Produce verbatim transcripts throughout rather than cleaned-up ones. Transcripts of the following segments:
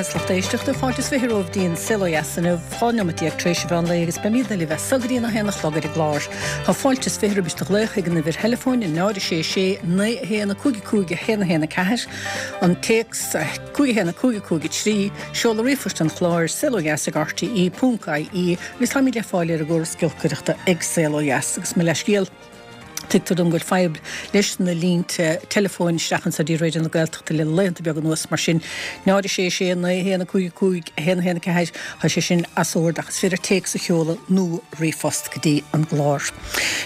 dheas lucht éisteachta fáilte is fiche romhaibh go dtí an Saol Ó Dheas inniu dhá neomat déag tar éis an mheán lae agus beimid libh as so go dtí a haon a chlog ar an gclár. Tá fáilte is fiche roimh do ghlaoch ag an uimhir theileafóin náid sé sé naoi a haon a cúig cúig a haon a haon a ceathair, an téacs cúig a haon a cúig cúig a trí, seoladh ríomhphoist an chláir saol ó dheas ag RTE ponc IE agus táimid le fáil ar an gcóras giolcaireachta ag Saol Ó Dheas agus mo leithscéal. Tuigtear dom go bhfuil fadhb leis na línte teileafóin isteach anseo dtí Raidió na Gaeltachta le laethanta beaga anuas mar sin náid sé sé naoi haon a cúig cúig a haon a haon a ceathair tá sé sin as ord ach is féidir téacs a sheoladh nó ríomhphost go dtí an gclár.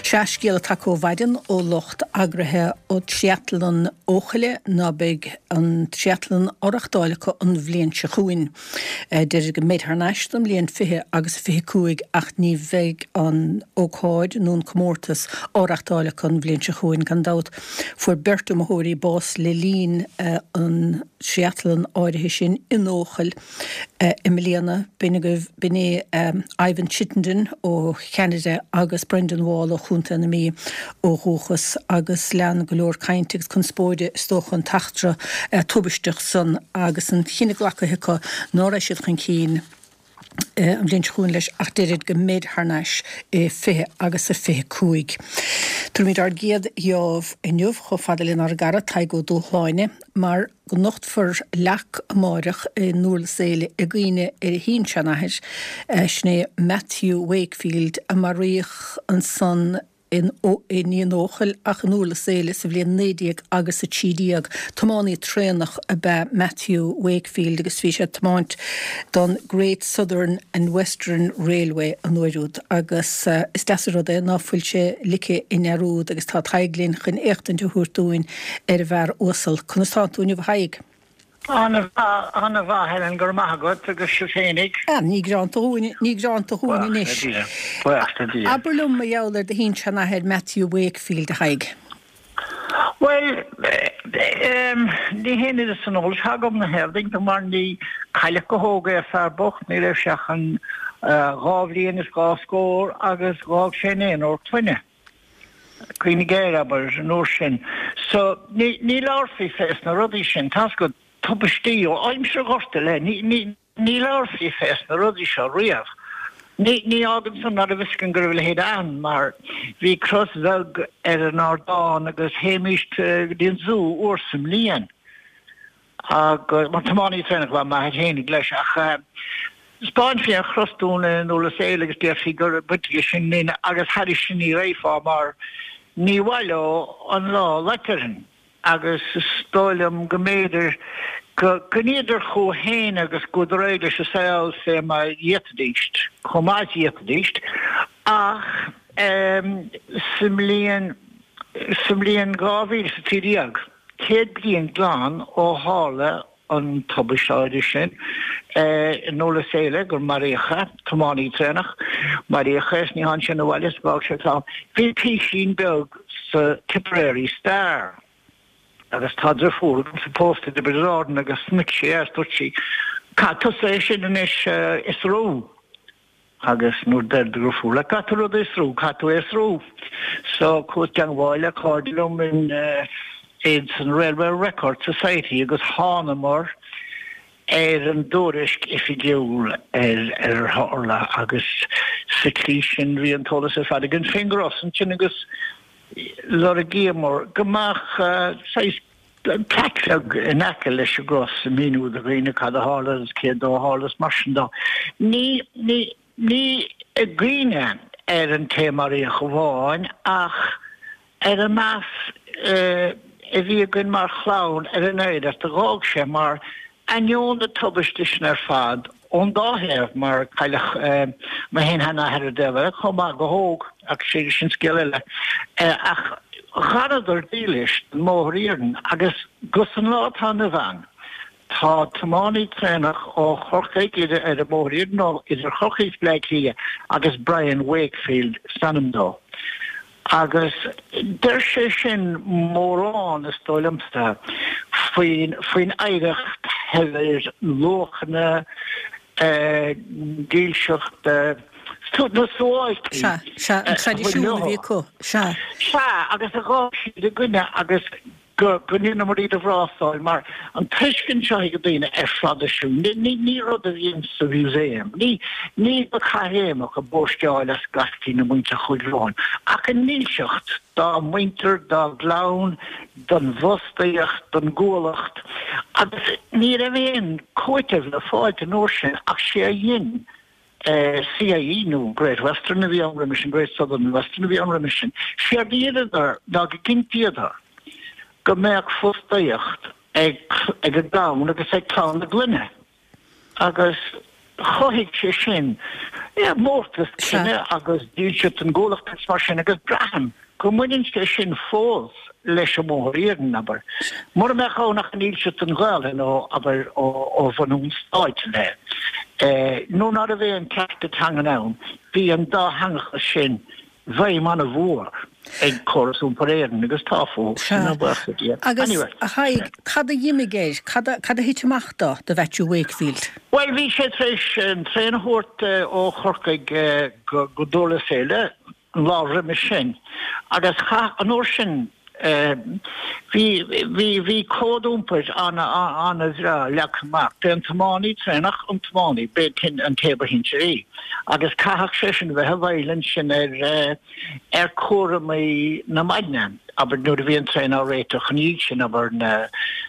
Sea scéal atá ó mhaidin ó lucht eagraithe ó Triathlon Eochaille ná beidh an triathlon á reáchtáil acu an bhliain seo chugainn. Deir go mbeidh thar n-ais don bhliain fiche agus fiche cúig ach ní bheidh an ócáid nó an comórtas á reáchtáil acu an bhliain seo chugainn gan dabht. Fuair beirt iomaitheoirí bás le linn an triathlon áirithe sin in Eochaill i mbliana b'in agaibh b'in é Ivan Chittenden ó Cheanada agus Brendan Wall ó Chontae na Mí ó dhúchas agus lean go leor cainte agus conspóide is dócha an t-eachtra tubaisteach san agus an cinneadh glactha acu ná raibh siad chun cinn an bhliain seo chugainn leis ach deirid go mbeidh thar n-ais i fiche agus a fiche cúig. Tabharfaimid ár gcéad gheábh inniu chomh fada lenár gcara Tadhg Ó Dúshláine mar go nochtfar leac amáireach i nDurlas Éile i gcuimhne ar a shin-seanathair sin é Matthew Wakefield a maraíodh ansan in ní in Eochaill ach in Durlas Éile sa bhliain naoi déag agus a trí déag. Tiománaí traenach ab ea Matthew Wakefield agus bhí sé ag tiomáint don Great Southern and Western Railway an uair úd agus is deas an rud é ná fuil sé ligthe i ndearúd agus tá Tadhg linn chun éachtaint a thabhairt dúinn ar an bhfear uasal. Conas tá tú inniu a Thaidhg? An-mhaith, an-mhaith, Helen, go raibh maith agat agus sibh féinig. Ah, ní greanta dhúinn, ní greanta dhúinn anois. Buíochas le Dia. Abair liom mar gheall ar do shin-seanathair Matthew Wakefield, a Thaidhg. Bhuel, ní haon oiread san eolais atá agam ina thaobh mar ní cailleadh go hóg é fear bocht, ní raibh sé ach an dhá bhliain is dhá scór agus dh'fhág sé naonúr clainne. Cuimhnigh air, abair, an uair sin. So, ní, ní labharfaí fés na rudaí sin, tá's agat, tubaistí ó aimsir Ghorta i leith, ní, ní, ní labharfaí fés na rudaí seo riamh. Ní, ní fhágann san ná raibh fhios againn go raibh a leithéid ann, mar bhí cros bheag ar an ardán agus théimíst go dtí an zú uair sa mbliain. Agus, mar tiománaí traenach ab ea m'athair fhéinig leis, ach 'spáinfí an chros dúinn i nDurlas Éile agus déarfaí gur baint aige sin linn agus thairis sin ní raghfá mar ní mhaith leo an lá a loit orainn agus is dóigh liom go mb'fhéidir go gcoinníodar chucu féin agus chuadar ar aghaidh leis an saol fé mar a d'fhéadfaidíst, chomh maith is a d'fhéadfaidíst ach sa mbliain sa mbliain dhá mhíle is a trí déag. Céad bliain glan ó tharla an tubaiste áirithe sin i nDurlas Éile gur maraíodh é, tiománaí traenach, maraíodh é is ní tháinig sé 'na bhaile is d'fhág sé clann. Bhí písín beag sa Tipperary Star agus tá driofúr agamsa pósta i dTiobraid Árann agus chonaic sí é is dúirt sí, Caithfidh tusa é sin anois a fhiosrú. Agus nuair deir do dhriofúr leat caithfidh tú rud a fhiosrú, caithfidh tú é a fhiosrú. So chuas i dteangmháil le cairde liom in in san Railway Record Society agus thánamar ar an dtuairisc oifigiúil ar ar ar tharla agus sa tslí sin bhí an t-eolas ar fad againn fén gcros ansin agus lorgaíomar go mbeadh saghas plaic bheag in aice leis an gcros ag míniú do dhaoine cad a tharla agus cé dó a tharla is mar sin dó. Ní, ní, ní i gcuimhne ar an té a maraíodh amháin ach ar an meas a bhí againn mar chlann ar an oidhreacht a dh'fhág sé mar ainneoin na tubaiste sin ar fad ón dá thaobh, mar cailleadh mo shin-sheanathair ar an dtaobh eile chomh maith go hóg, ach sin scéal eile, ach dh'fhanadar dílis don mbóthar iarainn agus go san lá atá inniu ann tá tiománaí traenach ó Chorcaigh idir ar an mbóthar iarainn nó idir Chorcaigh is Bleá Cliath agus Brian Wakefield is ainm dó. Agus deir sé sin mórán, is dóigh liomsa, faoin faoin oidhreacht shaibhir luachanna, dílseacht, na suáilcí Sea, sea, an a bhain traidisiún a bhí leo. acu, sea. Sea, agus a dh'fhág siad againne agus Go ndeineamar iad a bhrástáil mar an tuiscint seo ag daoine ar thraidisiún, ní rud a bhíonn sa mhúsaem, ní ní go caithréimeach a bpóisteáil as gaistí na muintir Chúil Róin, ach a ndílseacht dá muintir, dá gclann, don bhfostaíocht, don gcuallacht, agus ní raibh aon cúiteamh le fáilt an uair sin ach sé a dhein CIE nó Great Western a bhí ann roimis sin, Great Southern and Western a bhí ann roimis sin, séard a dheineadar ná go gcinntíodar go mbeadh fostaíocht ag ag a gclann agus ag clann na gclainne agus chothaigh sé sin mórtas cine agus dílseacht don gcuallacht agus mar sin agus braithim go mbaineann sé sin fós leis an mBóthar Iarainn, abair. Mura mbeadh ann ach an dílseacht don Ghaelainn ó, abair, ó bhunú an stáit i leith, nuair ná raibh aon cearta teangan ann, bhí an dátheangachas sin i bhfeidhm an-mhór ag Córas Iompair Éireann agus tá fós, sin a buíochas le Dia. Agus, a Thaidhg, cad a d'imigh air? Cad a, cad a thit amach do, do Mhaitiú Wakefield? Bhuel, bhí sé tar éis an traein a thabhairt ó Chorcaigh go, go Durlas Éile an lá roimis sin agus chaith, an uair sin, Bhí, bhí, bhí cód iompair an-bhreá leagtha amach. B'é an tiománaí traenach an tiománaí, b'é an té ba shinsearaí agus chaithfeadh seisean a bheith i bhfeighil ansin ar, ar chúramaí na maidne, abair nuair a bhí an traein á réiteach ina dhiaidh sin, abair na,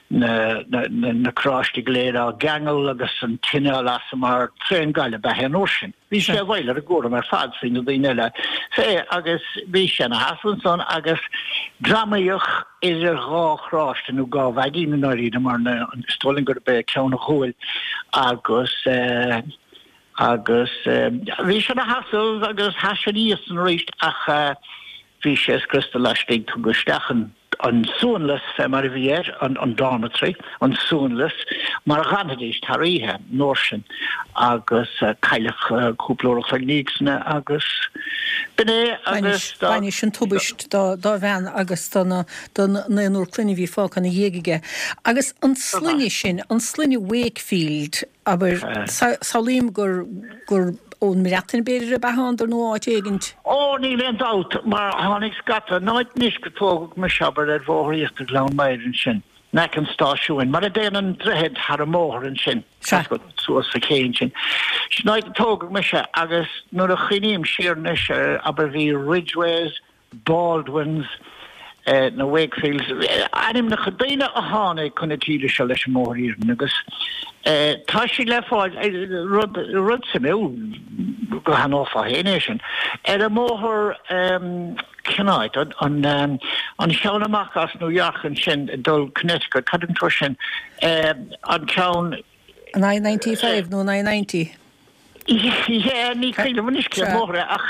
na, na, na carráistí go léir á gceangal agus an tine á lasadh mar traein gaile ab ea é an uair sin. Bhí sé i bhfeighil ar an gcúram ar fad faoi na daoine eile fé agus bhí sé ina sheasamh ansan agus greamaíodh idir dhá charráiste nó dhá vaigín i ndáiríre mar na is dóigh liom gurb é ceann a ghuail agus eh agus eh bhí sé ina sheasamh agus sheas sé ina dhiaidh san arís ach eh bhí sé scriosta laistigh tugadh isteach an an suanlios fé mar a bhí air, an dormitory, an suanlios, mar a dh'fhanfaidís thar oíche an uair sin agus cailleadh cúpla uair a chloig ina dhiaidh san agus b'in é agus dá. Bainis an tubaist dá bhean agus don naonúr clainne a bhí fágtha ina dhiaidh aige. Agus an sloinne sin, an sloinne Wakefield, abair, samhlaím gur, gur ón mBreatain b'fhéidir ab ea a thánadar nó áit éigint. Ó, níl aon dabht, mar tháinig scata, an áit anois gur tógadh mise, abair, ar Bhóthar Íochtar Ghleann Maghair ansin, in aice an stáisiúin, mar a dtéann an droichead thar an mbóthar ansin, suas sa ché ansin. Sin áit a tógadh mise agus nuair a chuimhním siar anois ar, abair, bhí Ridgeways, Baldwins, na Wakefields, ainmneacha daoine a tháinig chun na tíre seo leis an mBóthar Iarainn agus tá siad le fáil, rud, rud suimiúil, go haithneofá féin é sin, ar an mbóthar, cén áit, an, an cheann amach as New York ansin ag dul Connecticut, cad an tuar sin, an ceann. An I ninety five nó an I ninety? Yeah, ní cuimhin liom anois cén bóthar é ach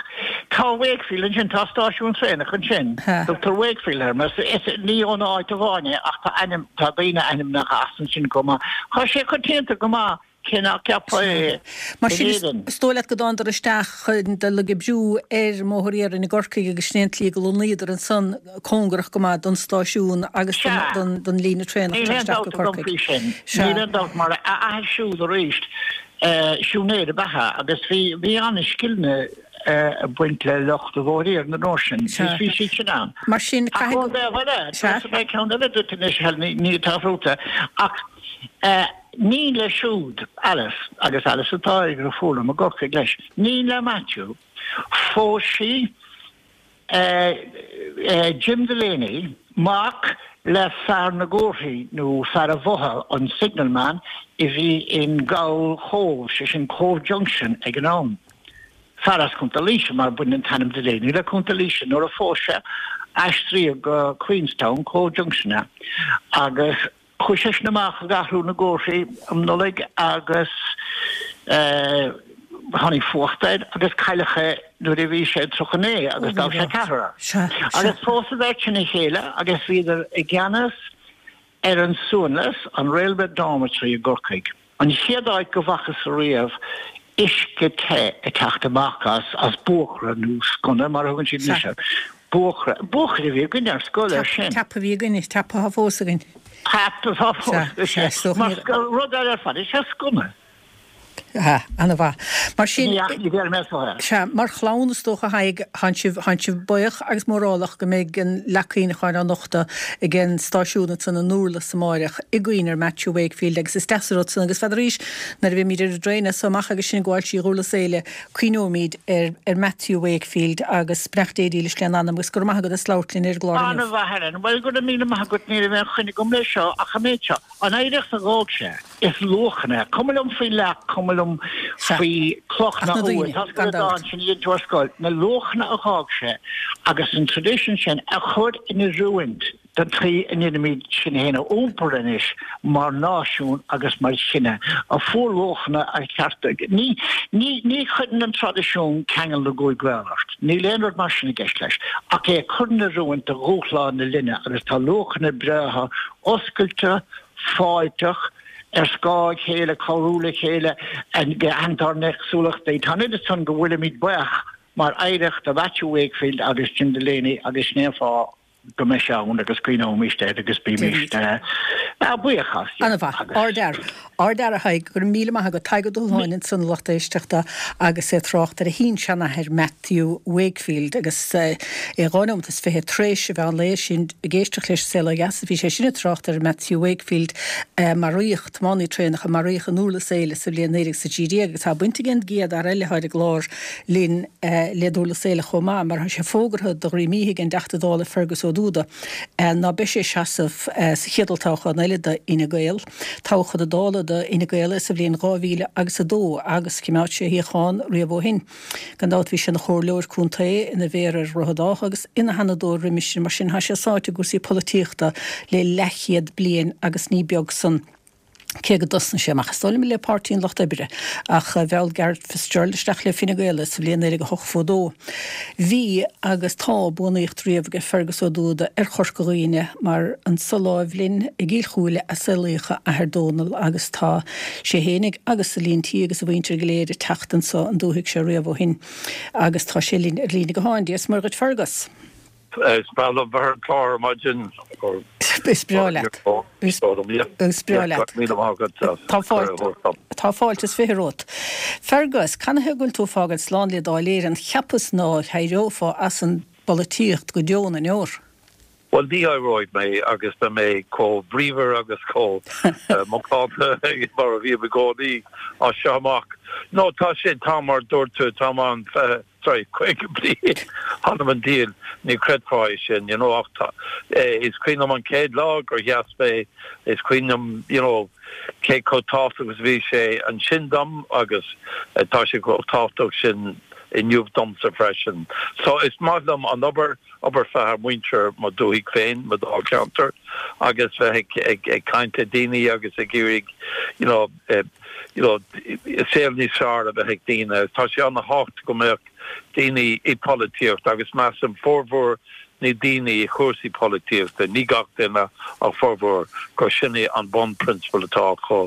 tá Wakefield ansin, tá stáisiún traenach ansin, tugtar Wakefield air, mar is ní ón áit amháin é ach tá ainm, tá daoine ainmneacha as ansin chomh maith. Tá sé coitianta go maith cé nach gceapfá é Mar sin is dóigh leat go dtánadar isteach chun dul ag oibriú ar an mBóthar Iarainn i gCorcaigh agus sin é an tslí go lonnaíodar ansan cóngarach go maith don stáisiún agus don líne traenach Níl aon isteach go dabht agam Corcaigh. faoi sin. Sea. Níl aon dabht mar a athair siúd arís Siúinéir ab ea é agus bhí bhí an-scileanna ag baint le lucht an Bhóthair Iarainn an uair sin. Sea. Bhí siad sin ann. Mar sin, Ach caithfidh ón dtaobh eile, Sea. tabharfaidh mé ceann eile duit anois, Helen, ní atá fútsa, ach iníon leis siúd, Alice, agus Alice atá ag deirfiúr liom i gCorcaigh leis, iníon le Matthew, phós sí Jim Delaney, mac le fear na gcomharthaí nó fear an bhotha, an signalman, a bhí in gColl Chóbh, sé sin Cobh Junction ag an am. Fear as Contae Laoise, mar baineann an t-ainm Delaney le Contae Laoise. Nuair a phós sé, aistríodh go Queenstown, Cobh Junction é, agus Chuaigh seisean amach ag athrú na gcomharthaí um Nollaig agus tháinig fuacht air agus cailleadh é nuair a bhí sé tríocha naoi agus d'fhág sé ceathrar. Agus phós an bheirt sin a chéile agus bhíodar i gceannas ar an suanlios, an Railway Dormitory i gCorcaigh. An chéad áit go bhfacthas ariamh uisce te ag teacht amach as, as buachaire nó sconna mar a thugann siad anois air. Buachaire, buachaire a bhí againn ar scoil ar sin. Tap a bhí againn, tap atá fós againn. Tap atá fós Sea, sea, againn. Mar rud eile ar fad, is ea sconna. Ha, ana-mhaith. Mar sin, Ní ní bheir mé so é. Sea, mar chlann is dócha Thaidhg, tánn sibh, tánn sibh buíoch agus mórálach go mbeidh an leac cuimhneacháin á nochtadh ag an stáisiún ansan i nDurlas amáireach i gcuimhne ar Matthew Wakefield agus is deas an rud san agus n'fheadar arís nuair a bheimid ar an dtraein as so amach agus sinn ag gabháil trí Dhurlas Éile cuimhneoimid ar ar Matthew Wakefield agus beannacht Dé dílis lena anam agus go raibh maith agat as labhairt linn ar an gclár inniu. Ana-mhaith Helen. Bhuel go raibh míle maith agat ní raibh aon choinne agam leis seo ach an méid seo. An oidhreacht a d'fhág sé, is luachanna, cuma liom faoi leac, cuma liom faoi chloch Ach na na daoine, uaigh, tá gan go dabht. dán sin a dhein tú ar scoil, na luachanna a d'fhág sé agus an tradition sin a chur in oiriúint don tslí a ndéanaimid sinn féin a iompar anois mar náisiún agus mar chine a fuair luachanna a chearta. Ní ní ní chuireann an traidisiún ceangal na gcúig gcaol ort. Níl aon rud mar sin i gceist leis, ach é chur in oiriúint do dhúshlán na linne agus tá luachanna breátha oscailte, fáilteach, ar scáth a chéile, cabhrú le chéile, aithint ár n-éagsúlachtaí. Tá an oiread san go bhfuilimid buíoch mar oidhreacht de Matthew Wakefield agus Jim Delaney agus sin é an fáth go mbeidh sé ann agus cuimhneoimid air agus bímid buíoch as. Ana-mhaith, ardfhear. Ardfhear a Thaidhg, go raibh míle maith agat. Tadhg Ó Dúshláin ansan a lucht éisteachta agus é ag trácht ar a shin-seanathair Matthew Wakefield agus é dhá nóiméad is fiche tar éis a mheán lae sin ag éisteacht leis Saol Ó Dheas a bhí sé sin ag trácht ar Matthew Wakefield maraíodh, tiománaí traenach a maraíodh i nDurlas Éile sa bhliain naoi déag is a trí déag agus tá baint ag an gcéad fhear eile atá ar an gclár linn le Durlas Éile chomh maith mar tá sé fógartha do dhroim oíche ag an dTeachta Dála Fergus Ó Dúda ná beidh sé ag seasamh sa chéad olltoghchán eile do Fhine Gael. Toghadh chun na Dála do Fhine Gael é sa bhliain dhá mhíle agus a dó agus choimeád sé a shuíochán riamh ó shin. Gan dabht bhí sé ina chomhairleoir contae, ina mhéara ar Dhroichead Átha agus ina sheanadóir roimis sin, mar sin tá sé sáite i gcúrsaí polaitíochta le leathchéad bliain agus ní beag san. Cé go dtosnaigh sé amach is dóigh liom le Páirtí an Lucht Oibre, ach mheall Garret Fitzgerald isteach le Fine Gael é sa bhliain naoi déag a hochtó a dó. Bhí agus tá buannaíocht riamh aige Fergus Ó Dúda ar Chorca Dhuibhne mar anso láimh linn i gCill Chúile a saolaíodh a athair Dónal agus tá sé fhéinig agus a líon tí agus a mhuintir go léir ag teacht anso an dúthaigh seo riamh ó shin agus tá sé linn ar líne gutháin. Dia is Muire dhuit Fergus. Is breá liom bheith ar an chlár ar maidin. Is breá leat. Is breá leat. Tá fáilte Tá fáilte is fiche romhat. Fergus, canathaobh go bhfuil tú ag fágáil slán le Dáil Éireann cheapas ná héireofá as an bpolaitíocht go deo na ndeor? Well ní éireoidh mé agus beidh mé chomh bríomhar agus chomh macánta mar a bhím i gcónaí as seo amach. No tá sé tá mar dúirt tú tá an sorry caoga bliain th'anam 'on diabhal ní chreidfeá é sin you know ach tá is cuimhin liom an chéad lá gur sheas mé is cuimhin liom you know cé chomh tábhachtach agus bhí sé ansin dom agus tá sé chomh tábhachtach sin inniu domsa freisin. So is maith liom an obair obair feadh muintir mo dúthaigh féin mo dháilcheantar agus bheith ag ag ag caint le daoine agus ag iarraidh you know uh, you know saol níos fearr a bheith ag daoine. Tá sé an-tábhachtach go mbeadh daoine i polaitíocht agus measaim formhór na ndaoine i chúrsaí polaitíochta, ní gach duine ach formhór gur sin é an bunphrionsabal atá acu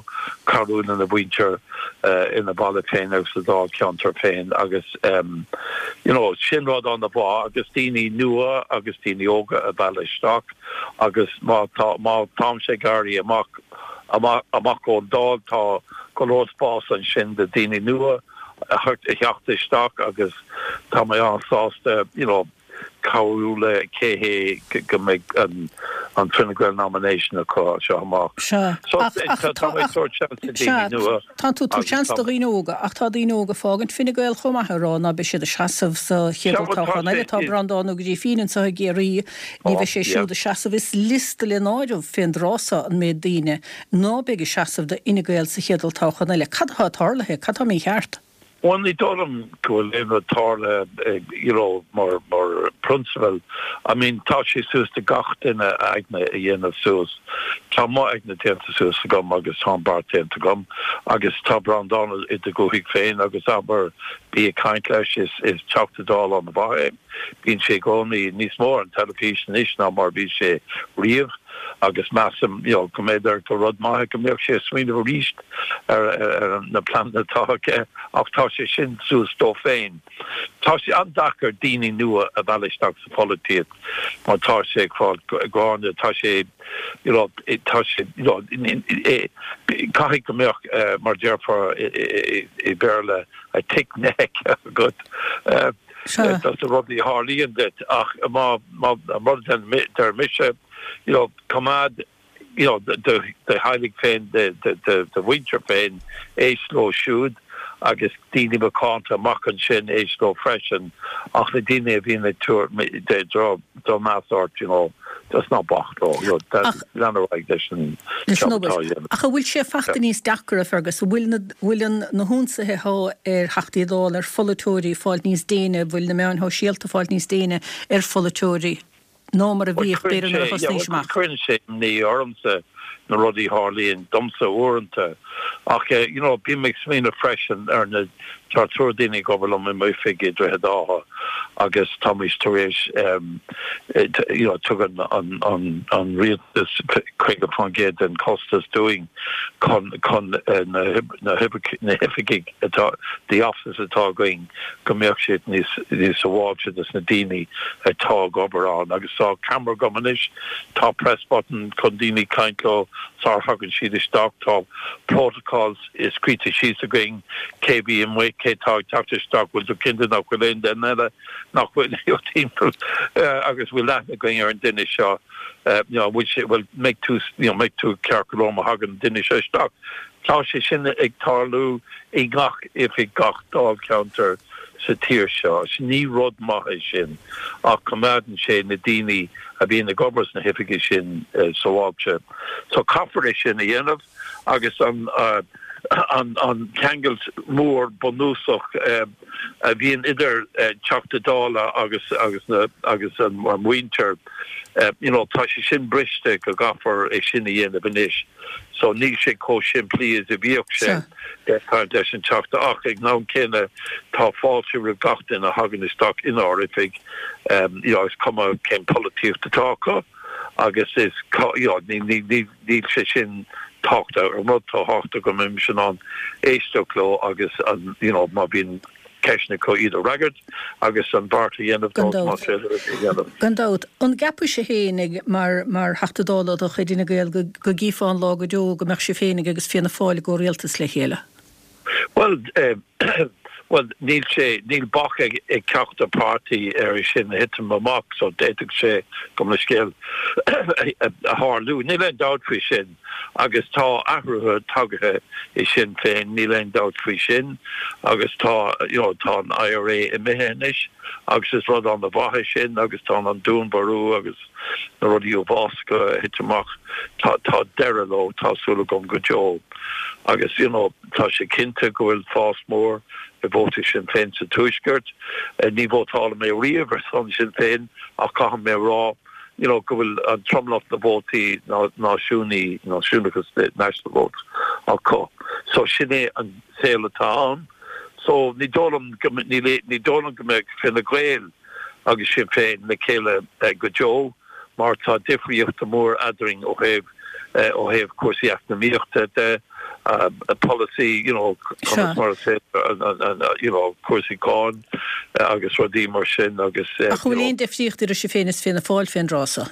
cabhrú lena mhuintir uh, ina baile féin agus sa dáilcheantar féin agus um, you know, sin rud an-mhaith agus daoine nua agus daoine óga a mhealladh isteach agus má tá má táimse ag éirí amach amach amach ón Dáil tá go leor spás ansin do daoine nua a theacht isteach agus tá mé an-sásta you know, cabhrú le cé hé go mbeidh an an Fine Gael nomination acu seo amach. Tá tú tú seans do dhaoine óga ach tá daoine óga ag fágaint Fine Gael chomh maith ag rá ná beidh siad ag seasamh sa chéad toghchán eile tá Breandán Ó Grifín anseo i gCiarraí ní bheidh sé siúd ag seasamh is liosta le náireamh fén dtráth seo an méid daoine ná beidh ag seasamh do Fhine Gael sa chéad toghchán eile. Cad atá tarlaithe, cad tá mícheart? Well ní dóigh liom go bhfuil aon rud tarlaithe you know, mar mar prionsabal. I mean tá sé suas do gach duine a aigne a dhéanamh suas. Tá mo aigne déanta suas agam agus tá beart déanta agam agus tá Breandán i do dhúthaigh féin agus abair bí ag caint leis is is Teachta Dála an-mhaith é. Bíonn sé i gcónaí níos mó an teilifís anois ná mar bhí sé riamh. Agus measaim you know, go mb'fhéidir gur rud maith go mbeadh sé smaoineamh arís ar, ar, ar na pleananna atá aige ach tá sé sin suas dó féin. Tá sé an-deacair daoine nua a mhealladh isteach sa pholaitíocht mar tá sé ag fáil gránna tá sé you know, tá sé you know, caithfidh go mbeadh uh, mar déarfá i Béarla a thick neck agat. Uh, Tá na rudaí a tharlaíonn duit ach má má deir mise you know, coimeád you know, do theaghlach féin do mhuintir féin éist leo siúd agus daoine macánta amach ansin éist leo freisin ach na daoine a bhíonn ag tabhairt drochmheas ort you know, just ná bac leo lean ar aghaidh leis an Ach an bhfuil sé fachta níos deacra Fergus bhfuil bhfuil na hionsaithe atá ar Theachtaí Dála ar pholaiteoirí fáil níos déine bhfuil na meáin shóisialta fáil níos déine ar pholaiteoirí ná mar a bhíodh b'fhéidir nuair a thosnaís amach. Cuireann sé imní ormsa na rudaí a tharlaíonn domsa uaireanta ach eh, you know, bím ag smaoineamh freisin ar na tá triúr daoine ag obair liom i m'oifig i Droichead Átha agus táimid tar éis um, you know, tugann an, an, an rialtas caoga faoin gcéad den costas dúinn chun chun uh, na, na, na hoifigigh atá the offices atá againn go mbeadh siad níos níos sábháilte dos na daoine atá ag obair ann agus tá camera agam anois tá press button chun daoine caint leo sar thagann siad isteach tá protocols scríte síos againn cé bí amuigh cé tá teacht isteach bhfuil tú cinnte nach bhfuil aon duine eile nach bhfuil timpeall agus bhfuil aithne againn ar an duine seo bhfuil sé bhfuil mbeidh tú you know, mbeidh tú ceart go leor má thagann duine seo isteach. Tá sé sin ag tarlú i ngach oifig gach dáilcheantar sa tír seo. Ní rud maith é sin ach coimeádann sé na daoine a bhíonn ag obair sna hoifigí sin uh, sábháilte. So caithfear é sin a dhéanamh agus an uh, an an ceangal mór bunúsach uh, a bhíonn idir uh, Teachta Dála agus agus na agus an an mhuintir uh, you know, tá sé sin briste go gcaithfear é sin a dhéanamh anois. So níl sé chomh simplí is a bhíodh sé caint leis an Teachta ach ag an am céanna tá fáilte roimh gach duine a thagann isteach inár oifig um, you know, is cuma cén polaitíocht atá acu agus is you know, ní ní ní níl sé sin tábhachtach an rud atá tábhachtach go mbeidh sin an éisteacht leo agus an you know, má bhíonn ceisteanna acu iad a fhreagairt agus an beart a dhéanamh dhéanamh. Gan dabht an gceapann sibh féinig mar mar Theachta Dála de chuid Fhine Gael go go gcífeá an lá go deo go mbeadh sibh féinig agus Fianna Fáil i gcomhrialtas le chéile. Well uh, well níl sé níl bac ag ag ceachtar páirtí ar sin a thitim amach so d'fhéadfadh sé go le scéal a tharlú níl aon dabht faoi sin agus tá athruithe tagtha i Sinn Féin níl aon dabht faoi sin agus tá you know, tá an IRA imithe anois agus is rud an-mhaith é sin agus tá an dúnmharú agus na rudaí uafásacha a thit amach tá tá deireadh leo tá súil agam go deo agus you know, tá sé cinnte go bhfuil fás mór i vótaí Sinn Féin sa Tuaisceart ní vótáil mé riamh ar son Sinn Féin ach caithfidh mé rá you know, go bhfuil an tromlach na vótaí náisiúnaí náisiúnachas national votes acu. So sin é an saol atá ann. So ní dóigh liom ní dóigh liom go mbeidh Fine Gael agus Sinn Féin le chéile uh, go deo mar tá difríocht mór eadrainn ó thaobh uh, ó thaobh cúrsaí eacnamaíochta de uh, a policy you know mar you know cúrsaí cáin uh, agus rudaí mar sin agus uh, Ach bhfuil aon difríocht idir sibh féin is Fianna Fáil fén dtráth seo.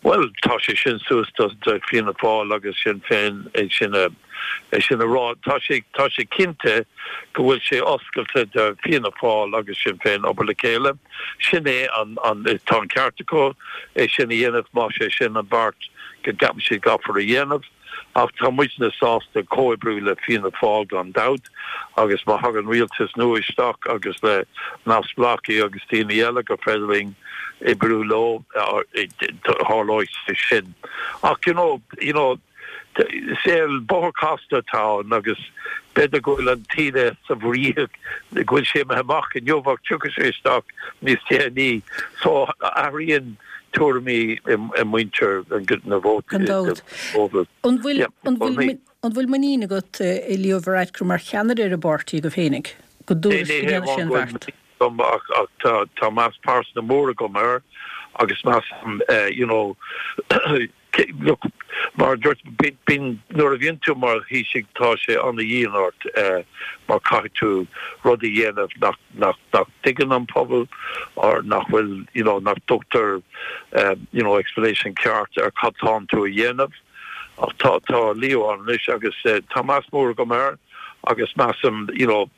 Well tá sé sin suas do Fianna Fáil agus Sinn Féin é sin a é sin a rá tá sé tá sé cinnte go bhfuil sé oscailte do Fianna Fáil agus Sinn Féin obair le chéile sin é an an tá an ceart acu é sin a dhéanamh má sé sin an beart go gceapann siad caithfear a dhéanamh ach tá muidne sásta comhoibriú le Fianna Fáil gan dabht agus má thagann rialtas nua isteach agus le neamhspleáchaigh agus daoine eile go féidir linn oibriú leo tharlóidh sé sin ach you know you know saol bóthar casta atá ann agus b'fhéidir go bhfuil an taoide sa bhfraoch go bhfuil sé imithe amach inniu ach tiocfaidh sé isteach níos déanaí so athraíonn tuairimí i muintir na vótaí. An bhfuil an bhfuil an bhfuil muinín agat i Leo Varadkar mar cheannaire ar an bpáirtí agaibh féinig go dúirt sin bheart. Ach tá meas pearsanta mór agam air agus meas you know Look, mar dúirt bíonn nuair a bhíonn tú mar Thaoiseach tá sé an-dhian ort mar caithfidh tú rud a dhéanamh nach nach nach dtuigeann an pobal or nach bhfuil you know nach dtugtar you know explanation ceart ar cad tánn tú a dhéanamh. Ach tá tá Leo ann anois agus tá meas mór agam air agus measaim you know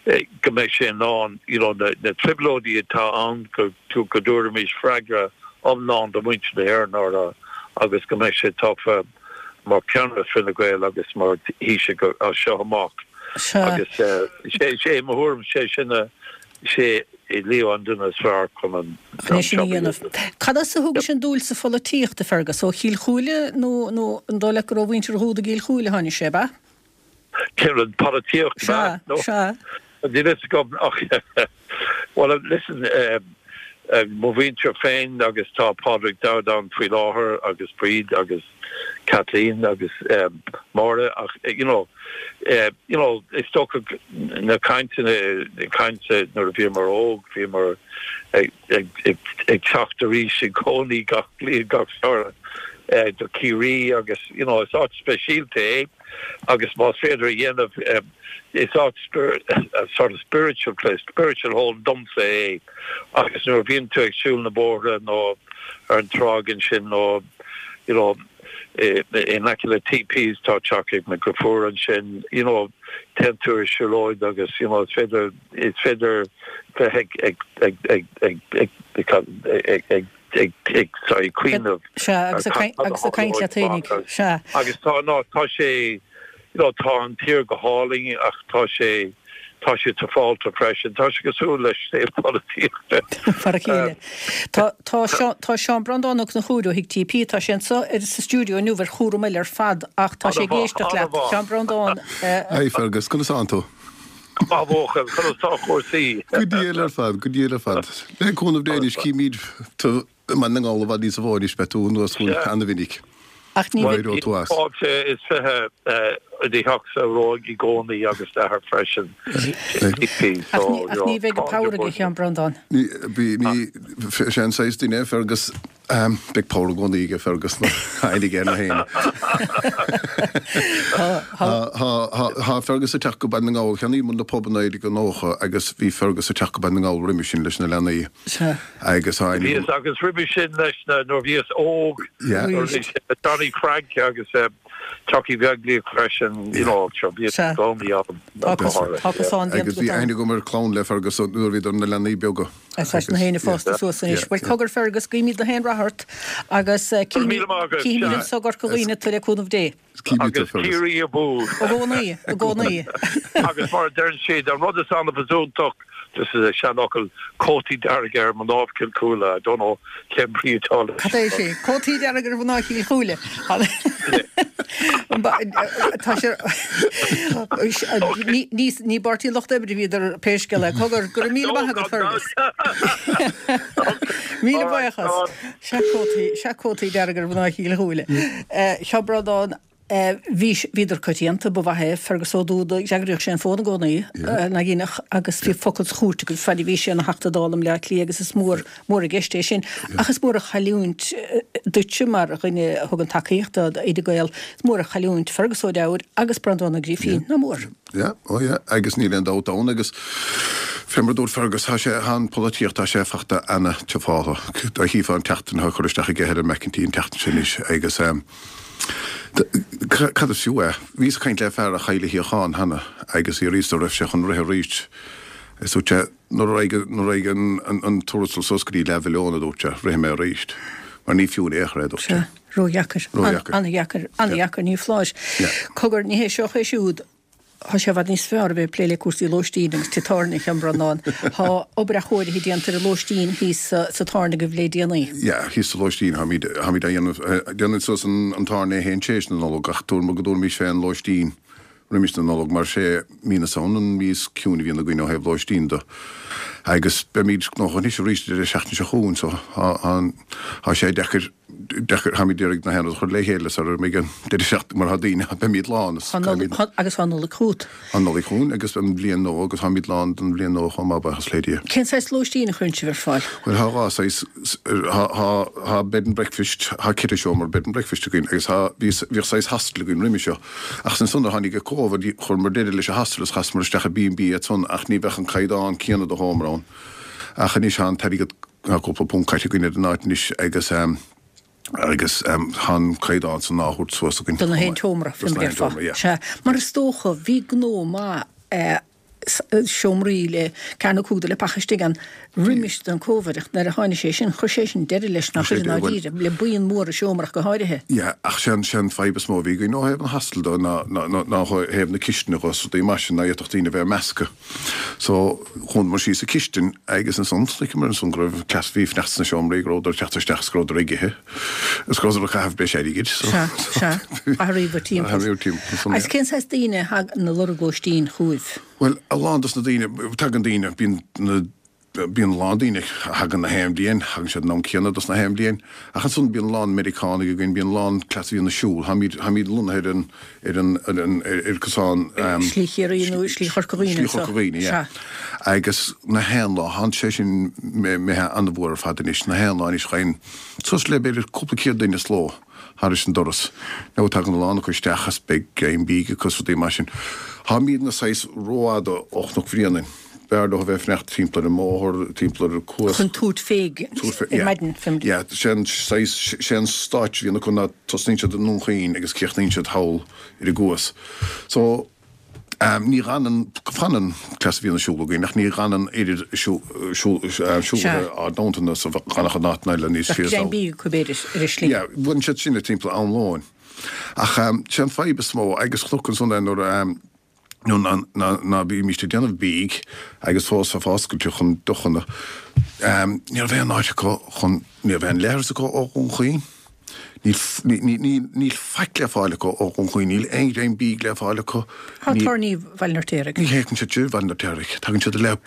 go mbeidh sé in ann you know na na trioblóidí atá ann go go dtabharfaimis freagra iomlán do mhuintir na hÉireann orthu agus go mbeidh sé tofa mar cheannaire Fine Gael agus mar Thaoiseach as seo amach. Agus sé sé mo thuairim sé sin a sé Leo an duine is fearr chun an Chun é sin a dhéanamh. Cad as a thugais an dúil sa pholaitíocht, a Fergus? Ó Chill Chúile nó nó an dóigh leat gur ó mhuintir Dhúda i gCill Chúile a tháinig sé, ab ea? Cén rud, polaitíocht, ab ea? Sea, sea. Níl fhios agam ach well listen mo mhuintir féin agus tá Pádraig Dowd ann faoi láthair agus Bríd agus Kathleen agus Máire ach you know you know is dócha na cainteanna cainte nuair a bhíomar óg bhíomar ag ag ag ag teacht arís i gcónaí gach bliain gach samhradh do Ciarraí agus you know is áit speisialta é agus más féidir a dhéanamh is áit sort of spiritual place, spiritual home domsa é agus nuair a bhíonn tú ag siúl na bóithre nó ar an tráigh ansin nó you know in aice le TPs tá teach ag mo dheirfiúr ansin you know téann tú ar siúlóid agus you know is féidir is féidir bheith ag ag ag ag ag ag ag ag ag ag sorry cuimhneamh Sea, agus agus ag caint leat féinig. Sea. Agus tá ná tá sé you know tá an tír go hálainn ach tá sé tá sé tufálta freisin tá sé cosúil leis sé polaitíochta. Fara chéile. Tá tá tá Seán Breandán Ó Conchúir ó Thigh TP tá sé anseo ar sa stiúideo inniu ar chúram eile ar fad ach tá sé ag éisteacht leat Seán Breandán. Hi Fergus, conas tánn tú? Maith bhuachaill, conas tá cúrsaí? Go diail ar fad, go diail ar fad. Le cúnamh Dé anois címid tú i mBaile na nGall i bhfad níos mó anois beidh tú anuas chugainn ana-mhinic. Ach ní bheidh. Éireoidh tú as. Fáilte is fiche i do theachsa romhaibh i gcónaí agus d'athair freisin. Ach ní ach ní bheidh an power aige Sheán Breandán. Ní bí ní sé an saghas duine é Fergus beidh power i gcónaí aige Fergus ná aithne aige ar na héinne. Tá Fergus ag teacht go Baile na nGall, cheannaigh muid na pub i naoi déag nócha agus bhí Fergus ag teacht go Baile na nGall roimhe sin leis na leanaí. Agus tá aithne Bhíos agus roimhe sin leis na nuair bhíos óg nuair bhí sé le Johnny Frank agus Chucky Bheaglíoch freisin you know sure bhíos i gcónaí ann Tá cosán déanta Agus bhí aithne agam ar chlann le Fergus nuair a bhíodar ina leanaí beaga. Tá na héinne fásta suas anois. Bhuel cogar Fergus, guímid gach aon rath ort agus Míle maith agat. cífimid anseo i gCorca Dhuibhne tú le cúnamh Dé. Agus Ciarraí abú. I gcónaí, i gcónaí. Agus mar a deireann siad, an rud is annamh is iontach, this is a seanfhocal, cótaí dearga ar mhná Chill Chúile, I don't know cén brí atá leis. Cad é sin? Cótaí dearga ar mhná Chill Chúile. Tá sé ní ní i bPáirtí an Lucht Oibre a bhíodar pé scéal é. Cogar, go raibh míle maith agat Fergus. Míle buíochas. Sea cótaí, sea cótaí dearga ar mhná Chill Chúile. Seo Breandán Bhí, bhíodar coitianta, ba mhaith é Fergus Ó Dúda, d'fhreagraíodh sé an fón i gcónaí, naigineach, agus bhí focal sa chúirt agus fad a bhí sé ina Theachta Dála i mBleá Cliath agus is mór, mór i gceist é sin. Ach is mór an chailliúint duitse mar dhuine a thugann tacaíocht do Fhine Gael, is mór an chailliúint Fergus Ó Duibhir agus Breandán Ó Grifín, nach mór? Yeah, oh yeah, agus níl aon dabht ann agus fé mar a dúirt Fergus, tá sé, tá an pholaitíocht, tá sé fachta ana-tiofáltha. Dá chífeá an tseachtain atá curtha isteach aige Helen McEntee an tseachtain seo anois agus eh, Cad is fiú é? Bhíos ag caint le fear a chaill a shuíochán cheana agus d'fhiafraíos de raibh sé chun rith arís. Is dúirt sé, nuair a raghaidh nuair a raghaidh an tuarastal suas go dtí leathmhilliún, a dúirt sé, rithfidh mé arís. Mar ní fiú in aon chor é, a dúirt sé. Sea, ródheacair. Ródheacair. An-dheacair. An-dheacair, ní foláir. Cogar, ní hé seo é siúd. Tá sé i bhfad níos fearr a bheith ag plé le cúrsaí lóistín agus tithe tábhairne, a Sheáin Bhreandáin. Tá obair athchóirithe déanta ar an lóistín thíos sa tábhairne agaibh le déanaí. Yeah, thíos sa lóistín, táimid, táimid á dhéanamh, déanfaidh suas an, an tábhairne é féin tar éis na Nollag ach dúramar go dtabharfaimis fé an lóistín roimis na Nollag mar sé mí na Samhna an mhí is ciúine a bhíonn againn ó thaobh lóistín de. Agus beimid gnóthach anois arís deireadh seachtaine seo chugainn so tá, tá, tá sé deacair deacair, táimid d'iarraidh na haon rud a chur le chéile sara mbeidh an deireadh seachtaine mar tá daoine, beimid lán is Tá Nollaig, agus tá Nollaig chugat. Tá Nollaig chugainn agus an bhliain nua agus táimid lán don bhliain nua chomh maith, buíochas le Dia. Cén saghas lóistín a chuireann sibh ar fáil? Bhuel, tá dhá saghas, tá, tá, tá bed and breakfast, tá ceithre seomra bed and breakfast againn agus tá, bhí, bhíodh saghas hostel againn roimhe seo ach ansan nuair a tháinig an Covid chuireamar deireadh leis an hostel is chasamar isteach i B and B ansan ach ní bheadh an caighdeán céanna de sheomra ann ach anois tá an t-airgead, tá cúpla punt caite againn ar an áit anois agus agus tá an caighdeán san á thabhairt suas againn. Do na haon tseomra, Dos na haon tseomra, yeah. Sea, mar is dócha, bhí gnó maith seomraí le ceathair nó cúig de le paca istigh ann roimis don Covid ach nuair a tháinig sé sin, chuir sé sin deireadh leis nach chuir i ndáiríre, le buíon mór i seomra ach go háirithe. Yeah, ach sé an, sé an fadhb is mó a bhí againn ó thaobh an hostel de ná, ná, ná, ná ó thaobh na cistine dhe is rudaí mar sin, ná fhéadfadh daoine a bheith measctha. So, dhúnamar síos an chistin agus ansan, chonaiceamar ansan go raibh cleas, bhí fanacht sna seomraí, go rabhadar ag teacht isteach is go rabhadar ag ithe is go rabhadar ag caitheamh breis airgid. So, Sea, sea, athraíodh timpeall. Athraíodh timpeall ansan, Agus yeah. cén saghas daoine a thagann ag lorg lóistín chugaibh? Bhuel, a lán dos na daoine, tagann daoine, bíonn na, bíonn a lán daoine a thagann na haon bhliain, thagann siad an am céanna dos na haon bhliain, ach ansan bíonn a lán Meiriceánaigh againn, bíonn a lán cleas a bhíonn ag siúl, táimid, táimid lonnaithe ar an, ar an, ar an, ar, ar cosán, Slí Chiarraí nó Slí Chorca Dhuibhne Slí Chorca Dhuibhne, yeah. Sea. Agus na haon lá, thánn sé sin imithe an-mhór ar fad anois, na haon lá anois gheibheann suas le b'fhéidir cúpla céad duine sa ló thairis an doras. Now tagann a lán acu isteach is beidh greim bídh acu is rudaí mar sin. Táimidne saghas rófhada ó Chnoc Bhréanainn. B'fhearr leo a bheith ag fanacht timpeall ar an mbóthar, timpeall ar an cuas. Chun tabhairt fé ar maidin. Yeah, sé an saghas, sé an stáit a bhíonn acu ná tosnaíonn siad i nDún Chaoin agus críochnaíonn siad thall ar an gcuas. So, ní fhanann, fanann cleas a bhíonn ag siúl againn ach ní fhanann oiread siúlaithe ár dteannta is a bhfanfadh in áiteanna eile níos Bheadh siar. greim bídh acu b'fhéidir ar an slí. Yeah, bhain siad sin timpeall am lóin. Ach sé an fadhb is mó, agus chonac ansan é nuair a, nó ná bímíst ag déanamh bídh agus fós bheifeá oscailte chun deochanna, ní raibh aon áit acu chun, ní raibh aon leithreas acu ó Dhún Chaoin, níl, níl, níl faic le fáil acu ó Dhún Chaoin, níl aon ghreim bídh le fáil acu. Tá tábhairní Bhaile an Fheirtéaraigh. Ní thagann siad go Baile an Fheirtéaraigh, tagann siad i leith,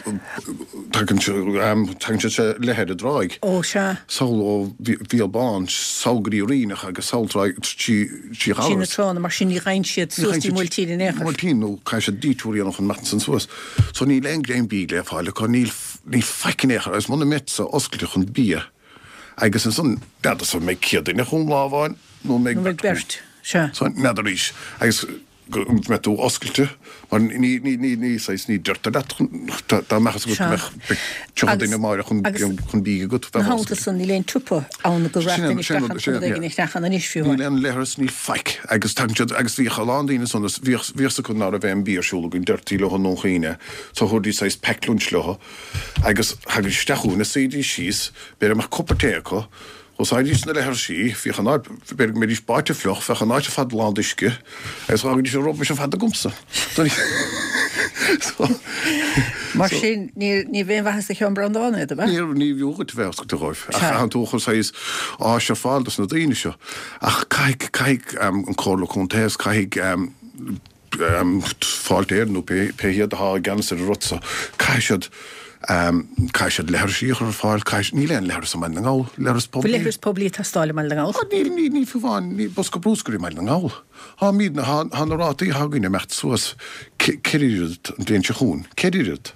tagann siad, tagann siad i leith ar an dtráigh. Ó, sea. Sall ó Mhíol Bán, sall go dtí Ríneach agus sall tráigh trí Trí na Ghallarus. tránna, mar sin ní gheibheann siad suas dtí Muiltín in aon chor. Muiltín nó caithfidh siad detour a dhéanamh chun imeacht ansan suas. So níl aon greim bídh le fáil acu, níl, níl faic in aon chor agus muna mbeadsa oscailte chun bia agus ansan n'fheadarsa an mbeidh céad duine chugam lá amháin nó an mbeidh Nó an mbeidh beirt, sea. So n'fheadar arís agus go mbeidh tú oscailte mar ní, ní, ní, ní saghas, ní deirtear leat chun, dá mbeadh fhios agat go mbeadh tríocha duine amáireach chun, chun bídh agat, Ina bheifeá theannta oscailte. san níl aon tsiopa ann go Sin raibh é, duine sin isteach rud, ann sin chun rud é, éigin yeah. a cheannach ann anois fiú Níl amháin. aon leithreas, níl faic agus tagann siad, agus bhíodh a lán daoine ansan, bhíodh, bhíodh fhios acu ná raibh aon bia ar siúl againn, deirtí leo i nDún Chaoin é, so thabharfaidís saghas packed lunch leo agus thagaidís isteach chugainn is suídís síos, b'fhéidir go mbeadh cupa tae acu, Úsáididís na leithrisí, bhíodh an áit, b'fhéidir go mbeidís báite fliuch, bheadh an áit ar fad lán d'uisce agus dh'fhágaidís an rubbish ar fad agamsa. So, Mar sin, ní, ní bheadh aon mhaitheas do Sheán Breandán é, do bheadh? Ní, ní bhfiú dhuit a bheith oscailte dhóibh. Ach Sea. thánn tú ag cur saghas áis ar fáil dos na daoine seo. Ach caithfidh, caithfidh an Comhairle Contae is caithfidh, Fáilte Éireann nó pé hiad atá i gceannas ar an rud seo, caithfidh siad, caithfidh siad leithrisí a chur ar fáil, caithfidh, níl aon leithreas i mBaile na nGall, leithreas Bhfuil poiblí. leithreas poiblí ag teastáil i mBaile na nGall? Á, níl, níl, níl fiú amháin, níl bosca brúscair i mBaile na nGall. Tá míd, tá, tá na rátaí atá againn ag imeacht suas ceithre oiread an bhliain seo chugainn, ceithre oiread,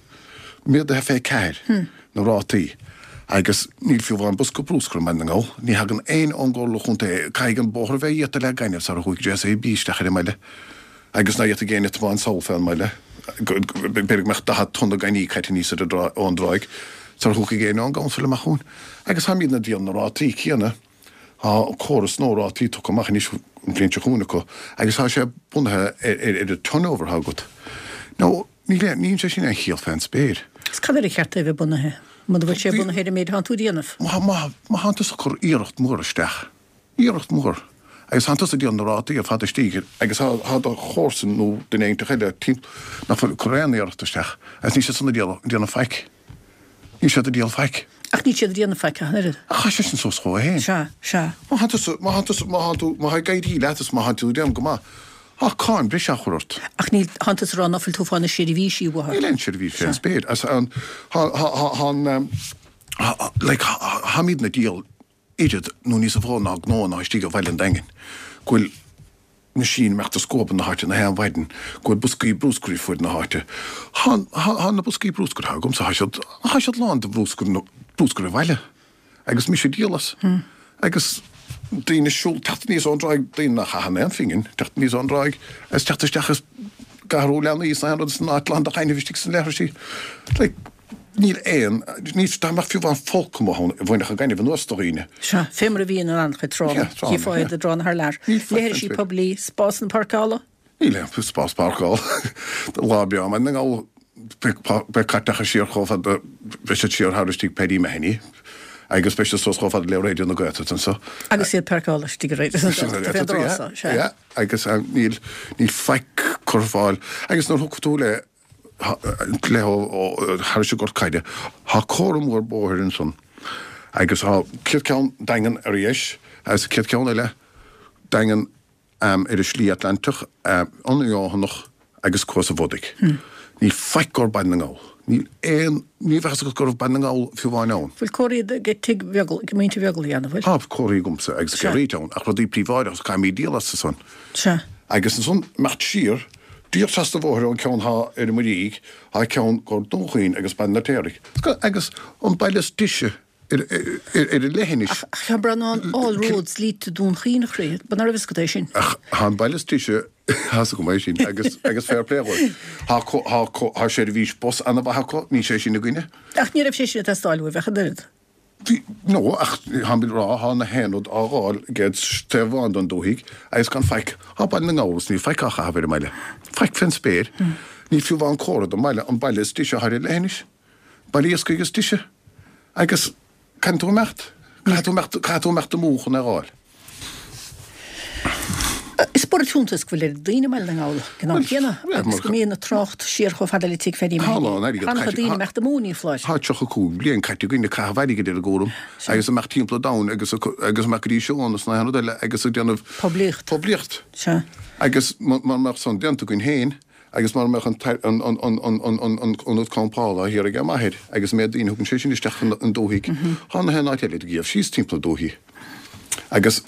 méadaithe fé ceathair na rátaí. Agus níl fiú amháin bosca brúscair i mBaile na nGall. Ní thagann aon ón gComhairle Chontae, caithfidh an bóthar a bheith iata le gaineamh sara thiocfaidh JCB isteach ar an mbaile. Agus ná iata géine tiomáint sall fén mbaile, b'fhéidir go mbeadh daichead tonna gainimh caite aníos ar an dtrá, ón dtráigh, sara thiocfaidh éinne ón gcouncil amach chugainn. Agus táimidne ag díol na rátaí céanna. Tá córas nua rátaí tugtha amach anois an bhliain seo chugainn acu agus tá sé bunaithe ar, ar, ar an turnover atá agat. Now, níl aon, níl sé sin aon chiall fén spéir. Is cad air ar cheart é a bheith bunaithe? Muna bhfuil sé bunaithe ar an méid atánn tú a dhéanamh? Má, má, má thánn tusa ag cur iarracht mhór isteach, iarracht mhór, agus thánn tusa ag díol na rátaí ar fad istigh agus thá, thá do chomharsan nó duine éiginteach eile timpeall nach bhfuil ag cur aon iarracht isteach agus níl siad san ag díol, ag déanamh faic. Níl siad ag díol faic. Ach níl siad ag déanamh faic ach an oiread. Ach chaith sé sin suas chucu féin. Sea, sea. Má thánn tusa, má thánn tusa, má thánn tú, má thá ag éirí leat is má thánn tú ag déanamh go maith, Tá cáin breise á chur ort. Ach níl, thánn tusa ag rá ná fuil tú ag fáil na seirbhísí uathu. Níl aon seirbhís fén spéir. As an, thá, thá, thá, thá an, like, tháimidne ag díol oiread nó níos mó ná gnó ná istigh i bhaile an Daingin, go bhfuil machine imeacht ag scuabadh na háite na haon mhaidin, go bhfuil boscaí bruscair ar fud na háite. Thá na boscaí bruscair atá agamsa, thá siad, thá siad lán de bhruscar, bruscar an bhaile. Agus mise ag díol as. Agus daoine ag siúl, teacht aníos ón dtráigh, daoine nach chaitheann aon phingin, teacht aníos ón dtráigh agus teacht isteach is ag athrú leanaí is na haon rud is an áit lán de ghainimh istigh sna leithrisí. Like, níl aon, ní, dá mbeadh fiú amháin folcadh amuigh ann, bhainfeadh an gaineamh anuas de dhaoine. Sea, fé mar a bhíonn in an-chuid tránna, chífeá iad i dtránna thar lear. Leithrisí poiblí, spásanna páirceála? Níl aon spás páirceála. Lá breá i mBaile na nGall, beidh cairteacha siar chomh fada, beidh siad siar thar istigh Paddy Mahony, agus beidh siad suas chomh fada le Raidió na Gaeltachta anseo. Agus iad páirceála istigh i Raidió na Gaeltachta, fén dtrá so, sea. Yeah, agus níl, níl faic curtha ar fáil. Agus nuair a thiocfaidh tú le le thairis an gCort Caide. Thá comhartha mór bóthair ansan agus thá chéad ceann Daingean ar dheis agus an chéad ceann eile Daingean ar an Slí Atlantach, an Fheothanach agus Cuas an Bhodaigh. Níl faic gur Baile na nGall. Níl aon, ní bheadh fhios agat go raibh Baile na nGall fiú amháin ann. Bhfuil comharthaí ag tigh Bheaglaoich, ag muintir Bheaglaoich ann, an bhfuil? Tá comharthaí agamsa agus ag Rita ann ach rudaí príobháideacha caithfimid díol astu san. Sea. Agus ansan imeacht siar, díreach trasna an bhóthair ón ceann thá ar an Muirígh, thá ceann gur Dún Chaoin agus Baile an Fheirtéaraigh. Agus an baile is deise ar an leithinis. Ach a Sheáin Breandáin, all roads lead to Dún Chaoin, a chroí. Ba ná raibh fhios agat é sin? Ach thá an baile is deise, thá's agam é sin, agus agus fair play dhóibh. Thá thá thá seirbhís bus ana-mhaith acu, níl sé sin againne. Ach ní raibh sé sin ag teastáil uaibh ach an oiread. Bhí, no, ach táim ag rá, thá na haon rud á dh'fháil ag an taobh amháin den dúthaigh agus gan faic, thá Baile na nGall is níl faic á chaitheamh ar an mbaile. Faic fén spéir. Níl fiú amháin comhartha don mbaile, an baile is deise athá ar an leithinis. Baile iascaigh is deise. Agus caithfidh tú imeacht, caithfidh tú imeacht, caithfidh tú imeacht amú chun é dh'fháil. Is borradh fiúntais go bhfuil oiread daoine i mBaile na nGall ag an am céanna agus go mbíonn an trácht siar chomh fada le tigh Phaddy Tá a lán airgead caite. Tá daoine imeacht amú, ní foláir. Tá tríocha cúig bliain caite againn ag caitheamh airgid ar an gcúram agus imeacht timpeall an domhain agus agus imeacht go dtí seónna is na haon rud eile agus ag déanamh Poiblíocht. poiblíocht. Sea. Agus mura mbeadh san déanta againn féin agus mura mbeadh an an an an an an an an ionad campála thiar ag m'athair agus an méid daoine a thugann sé sin isteach an dúthaigh, tá na haon áit eile ag gabháil síos timpeall na dúthaí. Agus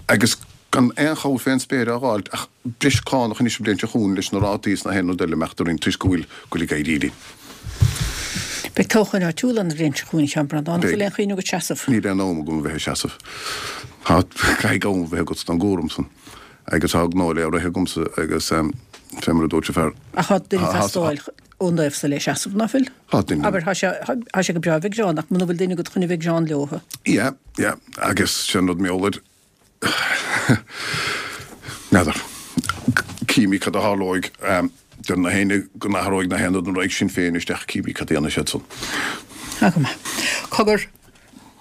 agus gan aon chabhair fén spéir á dh'fháilt ach breis cánach anois an bhliain seo chugainn leis na rátaí is na haon rud eile imeacht orainn toisc go bhfuil go bhfuil ag éirí linn. Beidh toghcháin áitiúla an bhliain seo chugainn, a Sheáin Breandáin. An bhfuil aon chuimhne agat seasamh? Níl aon am agam a bheith ag seasamh. Tá, caithfidh am a bheith agat don gcúram san. Agus tá gnó le rith agamsa agus fé mar a dúirt an fear. Ach tá duine ag teastáil ón dtaobh-sa le seasamh, ná fuil? Tá duine. Abair, tá sé, tá sé go breá a bheith ag Seán, ach muna bhfuil duine agat chun a bheith ag Seán leo. Yeah, yeah, agus sin rud meabhair. N'fheadar. Címid cad a tharlóidh. Deir na héinne go n-athróidh na haon rud nuair a raghaidh Sinn Féin isteach, címid cad a dhéanfaidh siad san. Tá go maith. Cogar,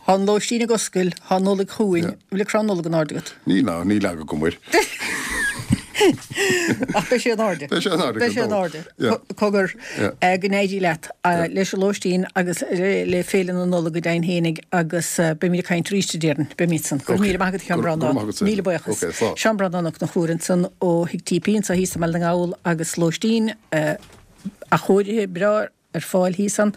tá an lóistín ag oscailt, tá an Nollaig chugainn. An bhfuil an crann Nollag in airde agat? Níl, ná, níl eagla agam air. Ach beidh sé in airde. Beidh sé in airde. Beidh sé in airde. Cogar, go n-éirí leat leis an lóistín agus le Féile na Nollag go deimhin fhéinig agus beimid ag caint arís, déarfainn. Beimid san. Go raibh míle maith agat, a Sheáin Breandáin. Míle buíochas. Seán Breandán Ó Conchúir ansan ó Thigh TP anso thíos i mBaile na nGall agus lóistín athchóirithe breá ar fáil thíos ann.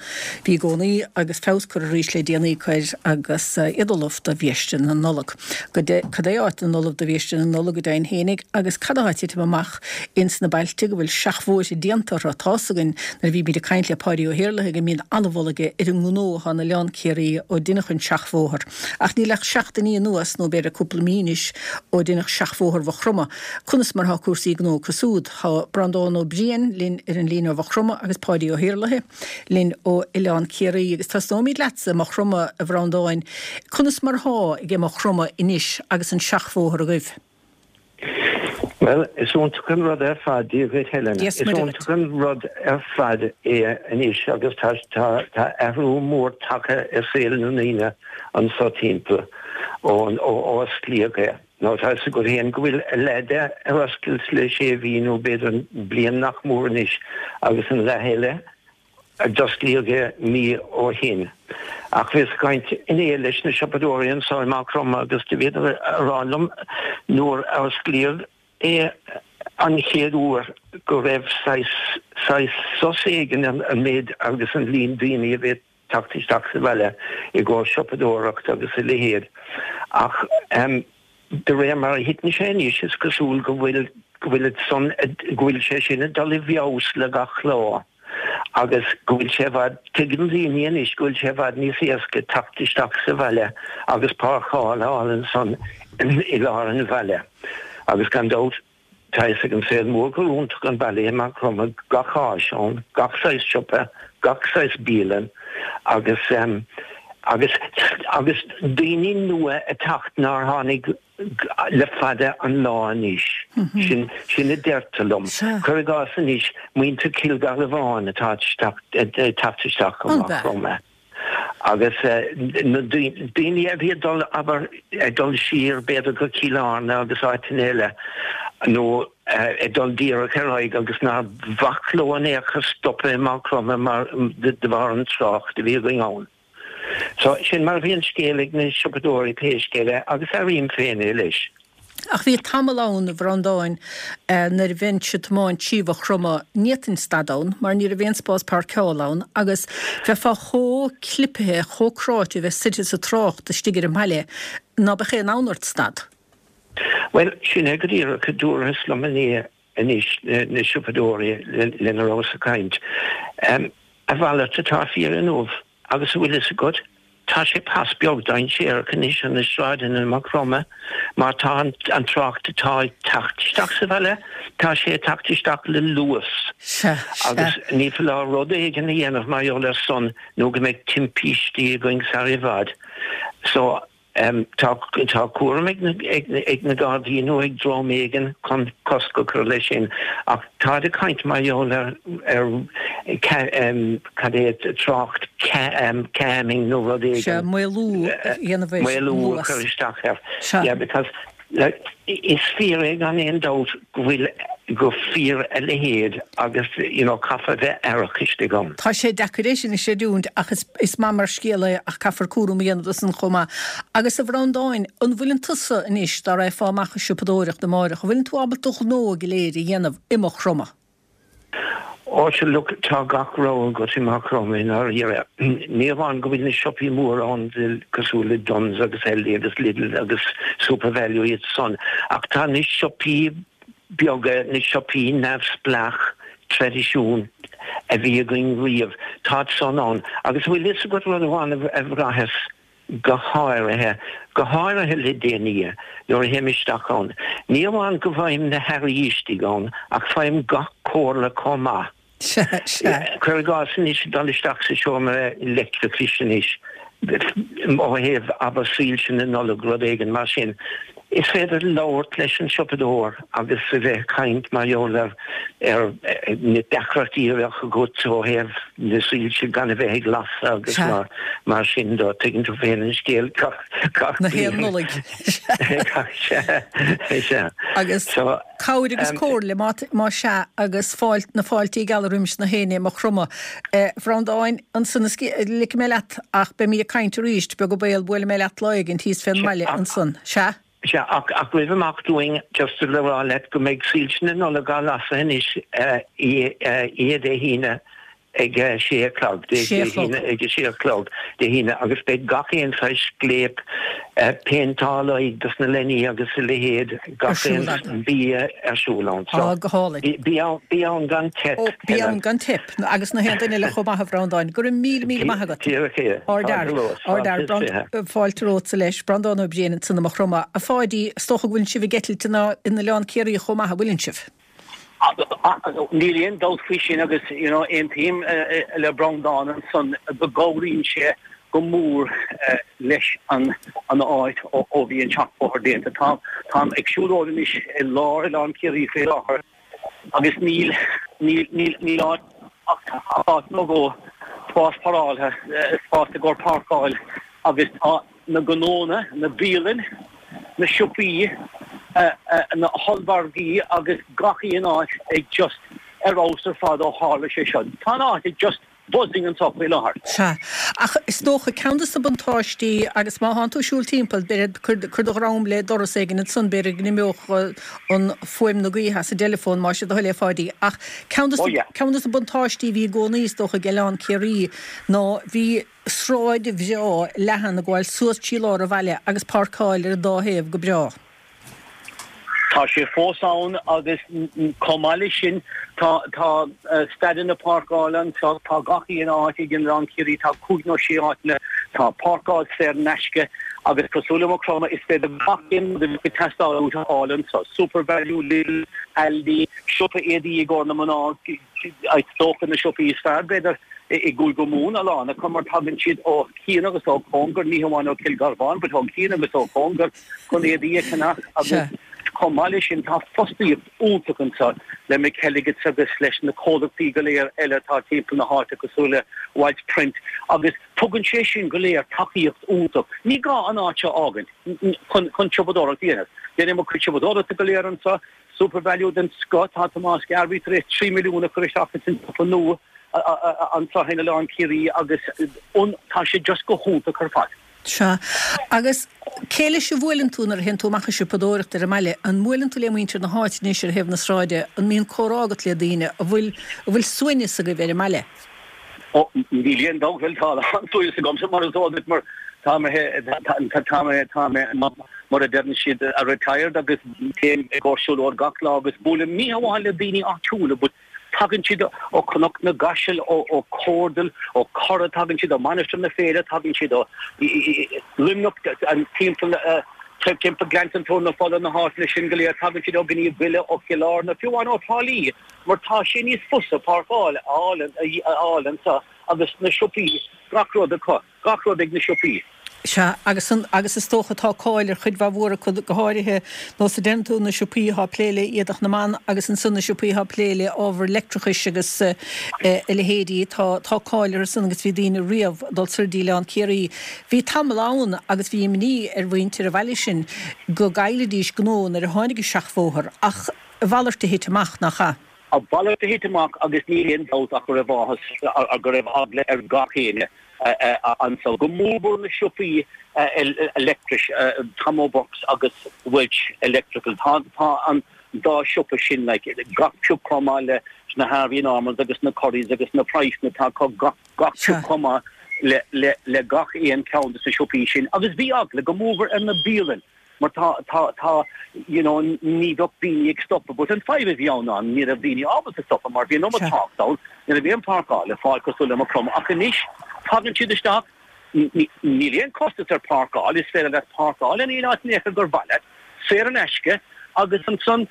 Bhí i gcónaí agus feabhas curtha arís le déanaí acu air agus iad ullamh do bhiaiste na Nollag. Cad é áit na ullamh do bhiaiste na Nollag go deimhin fhéinig agus cad atá ag titim amach ins na bailte go bhfuil seachbhóithre déanta orthu? Tá's againn nuair a bhímid ag caint le Páidí Ó hIarlaithe go mbíonn an-mholadh aige ar an ngnó atá in Oileán Ciarraí ó deineadh an seachbhóthar. Ach níl ach seachtainí anuas, nó b'fhéidir cúpla mí anois, ó deineadh seachbhóthar Mhaigh Chromtha. Conas mar atá cúrsaí gnó acu súd? Tá Breandán Ó Briain linn ar an líne ó Mhaigh Chromtha agus Páidí Ó hIarlaithe linn ó Oileán Ciarraí. Agus tosnóimid leatsa, Maigh Chromtha, a Bhreandáin. Conas mar thá ag Maigh Chromtha anois agus an seachbhóthar agaibh? Bhuel, is iontach an rud ar fad, Dia dhuit Helen, is iontach an rud ar fad é anois agus tá tá athrú mór tagtha ar saol na ndaoine anso timpeall ó ó osclaíodh é. Nó tá fhios agat féin go bhfuil a leath de ar oscailt le sé mhí nó b'fhéidir bliain nach mór anois agus an leath eile a d'osclaíodh é mí ó shin. Ach bhíos ag caint inné leis na siopadóirí anso i Maigh Chromtha agus do bhíodar a rá liom nuair a osclaíodh é an chéad uair go raibh saghas saghas sos éigin an méid agus an líon daoine a bhí teacht isteach sa bhaile i gcomhair siopadóireacht agus a leithéid. Ach um, de réir mar a thiteann sé anois is cosúil go bhfuil go bhfuil san go bhfuil sé sin ag dul i bhfeabhas le gach lá agus go bhfuil sé i bhfad tuigeann daoine anois go bhfuil sé i bhfad níos éasca teacht isteach sa bhaile agus páirceáil a fháil ansan i lár an bhaile. Agus gan dabht tá fhios ag an saol mór gur iontach an baile é Maigh Chromtha, gach áis ann, gach saghas siopa, gach saghas bialann agus um, agus agus daoine nua ag teacht nár tháinig le fada an lá anois. Mm -hmm. Sin sin a deirtear liom. Cuir i gcás anois muintir Chill Gharbháin atá teacht isteach go Maigh Chromtha. Agus na daoine a bhí ag dul abair ag dul siar b'fhéidir go Cill Airne agus áiteanna eile nó ag dul díreach ar aghaidh agus nár mhaith leo in aon chor stopadh i Maigh Chromtha mar de bharr an trácht a bhí againn ann. So sin mar a bhí an scéal ag na siopadóirí pé scéal é agus airím féin é leis. Ach bhí tamall ann, a Bhreandáin, nuair a bheinnse ag tiomáint trí Mhaigh Chromtha, ní fhéadfainn stad ann mar ní raibh aon spás páirceála ann agus bheifeá chomh clipithe, chomh cráite a bheith suite sa trácht istigh ar an mbaile ná beadh aon fhonn ort stad. Bhuel, sin é go díreach a dúradh liom inné anois, na siopadóirí lena rabhas ag caint. A mhalairt atá fíor inniu. Agus an bhfuil fhios agat, tá sé pas beag dainséarach anois ar na sráideanna i Maigh Chromtha mar tá an trácht atá ag teacht isteach sa bhaile, tá sé ag teacht isteach le luas. Sea, sea. Agus ní foláir rud éigin a dhéanamh mar gheall air san nó go mbeidh timpistí againn sar i bhfad. So, Tá cúram ag na Gardaí nó ag dream éigin chun cosc a chur leis sin ach táid ag caint mar gheall ar cad é trácht calming nó rud éigin. Sea, maolú a dhéanamh air. Maolú a chur isteach air. Yeah, because is fíor é gan aon dabht go bhfuil go fíor a leithéid agus you know caithfear a bheith aireach istigh ann. Tá sé deacair é sin a chreidiúint ach is is maith mar scéal é ach caithfear cúram a dhéanamh de san chomh maith. Agus a Bhreandáin, an bhfuileann tusa anois, dá raghfá amach ag siopadóireacht amáireach, an bhfuileann tú ábalta do ghnó go léir a dhéanamh i Maigh Chromtha? Ó sea, look, tá gach rogha agat i Maigh Chromtha i ndáiríre. Ní amháin go bhfuil na siopaí móra ann cosúil le Dunnes agus Aldi agus Lidl agus SuperValu iad san, ach tá na siopaí beaga, na siopaí neamhspleách traidisiúnta a bhí againn riamh, táid san ann. Agus bhfuil fhios agat rud amháin a bhraitheas go háirithe, go háirithe le déanaí, nuair a théim isteach ann, ní amháin go bhfaighim na hearraí istigh ann, ach faighim gach comhairle chomh maith. Sea, sea. Cuir i gcás anois, dul isteach sa seomra leictreachais anois, ó thaobh, abair, soilse na Nollag, rud éigin mar sin, is féidir labhairt leis an siopadóir agus a bheith ag caint mar gheall ar ar na deacrachtaí a bheadh agat ó thaobh na soilse gan a bheith ag lasadh agus mar mar sin de. Tuigeann tú féin an scéal gach gach Na haon Nollaig. Sea, sea. Agus So, cabhair agus comhairle má má sea agus fáil na fáiltí geala roimis na héinne i Maigh Chromtha. A Bhreandáin, ansan is ligfidh mé leat ach beimid ag caint arís, beag an baol, buailfidh mé leat lá éigin thíos fén mbaile ansan. Sea? Sea, ach ach roimh imeacht dúinn, just le rá leat go mbeidh soilse na Nollag á lasadh anois oíche Dé hAoine ag a sé a chlog, Dé Sé a chlog. hAoine ag a sé a chlog Dé hAoine agus beidh gach aon saghas scléip, péinteáil aghaidh dos na leanaí agus a leithéid, Ar gach siúl aon acu. bia ar siúl ann. So, Á, go hálainn. bí ann, bí ann gan teip, Ó, bí Helen. ann gan teip. Agus na haon duine eile chomh maith, a Bhreandáin. Go raibh míle míle maith agat. Díreach é. Ardfhear. Fáilte romhat. Ardfhear. Fáilte romhatsa leis. Breandán Ó Briain ansan i Maigh Chromtha. A Pháidí, is dócha go bhfuileann sibh ag eitilt in Oileán Ciarraí chomh maith, an bhfuileann sibh? Níl aon dabht faoi sin agus you know aontaím le Breandán ansan go gcabhraíonn sé go mór leis an an áit ó bhí an seachbhóthar déanta. Tá táim ag siúlóid anois i lár Oileán Ciarraí faoi láthair agus níl níl níl níl áit ach áit nó dhó spás páirceáilte, spás i gcomhair páirceáil agus tá na gnónna, na bialann, na siopaí, na hollmhargaí agus gach aon áit ag just ar fheabhas ar fad ó tharla sé seo. Tá an áit ag just buzzing anseo faoi láthair. Sea. Ach is dócha, ceann de na buntáistí, agus má thánn tú ag siúl timpeall, b'fhéidir, cuir do dhroim le doras éigin ansan, b'fhéidir go n-imeodh an fuaim na gaoithe as an dteileafón, más é do thoil é, a Pháidí. Ach ceann de ceann de na buntáistí a bhí i gcónaí, is dócha, ag Oileán Ciarraí ná bhí sráid bhreá leathan ag gabháil suas trí lár an bhaile agus páirceáil ar an dá thaobh go breá. Tá sé fós ann agus chomh maith leis sin tá tá staideanna páirceála anseo, tá gach aon áit ag Oileán Ciarraí, tá cúig nó sé áiteanna, tá páirceáil saor in aisce agus cosúil le Maigh Chromtha is féidir gach aon rud a bheadh ag teastáil uait a fháil anseo, SuperValu, Lidl, Aldi, siopa éadaí i gcomhair na mná, is dócha na siopaí is fearr b'fhéidir i gCúige Mumhan, a lán acu mar tagann siad ó chian agus ó chóngar, ní hamháin ó Chill Gharbháin but ó chian agus ó chóngar chun éadaí a cheannach agus chomh maith leis sin tá fostaíocht iontach anseo le McElligotts agus leis na comhlachtaí go léir eile atá timpeall na háite cosúil le Walsh Print agus tugann sé sin go léir tacaíocht iontach. Ní gá an áit seo a fhágaint chun chun siopadóireacht a dhéanamh. Déanaim mo chuid siopadóireachta go léir anseo, SuperValu den scoth, tá Tomás Garvey tar éis trí milliún a chur isteach ins an siopa nua anseo in Oileán Ciarraí agus tá sé just go hiontach ar fad. Sea. Agus cé leis a bhuaileann tú nuair a théann tú amach ag siopadóireacht ar an mbaile? An mbuaileann tú le muintir na háite anois ar thaobh na sráide? An mbíonn comhrá agat le daoine? An bhfuil, an bhfuil suaimhneas agaibh ar an mbaile? Ó, níl aon dabht, bhuel, tá an-suaimhneas agamsa mar is eol duit mar tá mé, tá mé, tá mé, mar a deireann siad, retired agus téim i gcomhair siúlóid gach lá agus buailim ní hamháin le daoine áitiúla but Tagann siad ó Chnoc na gCaiseal, ó Chomhardal, ó Chora, tagann siad ó Mainistir na Féile, tagann siad ó Luimneach, timpeall timpeall Gleannta Tóir na Fola, na háiteanna sin go léir, tagann siad ó Ghníomh Bile, ó Chill Airne, fiú amháin ó Thrá Lí, mar tá sé níos fusa páirceáil a fháil anseo agus na siopaí, gach rud acu. Gach rud ag na siopaí. Sea, agus an, agus is dócha tá cáil ar chuid mhaith mhór acu, go háirithe, nós a deireann tú, na siopaí atá ag plé le éadach na mban agus ansan na siopaí atá ag plé le ábhar leictreachais agus a leithéidí, tá, tá cáil orthu san agus bhí daoine riamh ag dul soir dtí Oileán Ciarraí. Bhí tamall ann agus bhí imní ar mhuintir an bhaile sin go gcaillfidís gnó nuair a tháinig an seachbhóthar ach a mhalairt a thit amach, nach ea? A mhalairt a thit amach agus níl aon dabht ach go raibh áthas, go raibh eagla ar gach éinne anso, go mórmhór na siopaí leictris, Tom O'Burke's agus Walsh Electrical. Tá tá an dá siopa sin like gach pioc chomh maith leis na Harvey Normans agus na Currys agus na Priceanna, tá acu gach gach pioc chomh maith le le le gach aon cheann de na siopaí sin. Agus bhí eagla go mórmhór ar na bialann. Mar tá, tá, tá, you know, ní bheadh daoine ag stopadh, but an fadhb a bhí ann ná ní raibh daoine ábalta stopadh mar bhí an iomad trácht ann, ní raibh aon páirceáil le fáil cosúil le Maigh Chromtha ach anois tagann siad isteach, níl aon costas ar páirceáil, is féidir leat páirceáil in aon áit in aon chor gur mhaith leat, saor in aisce agus ansan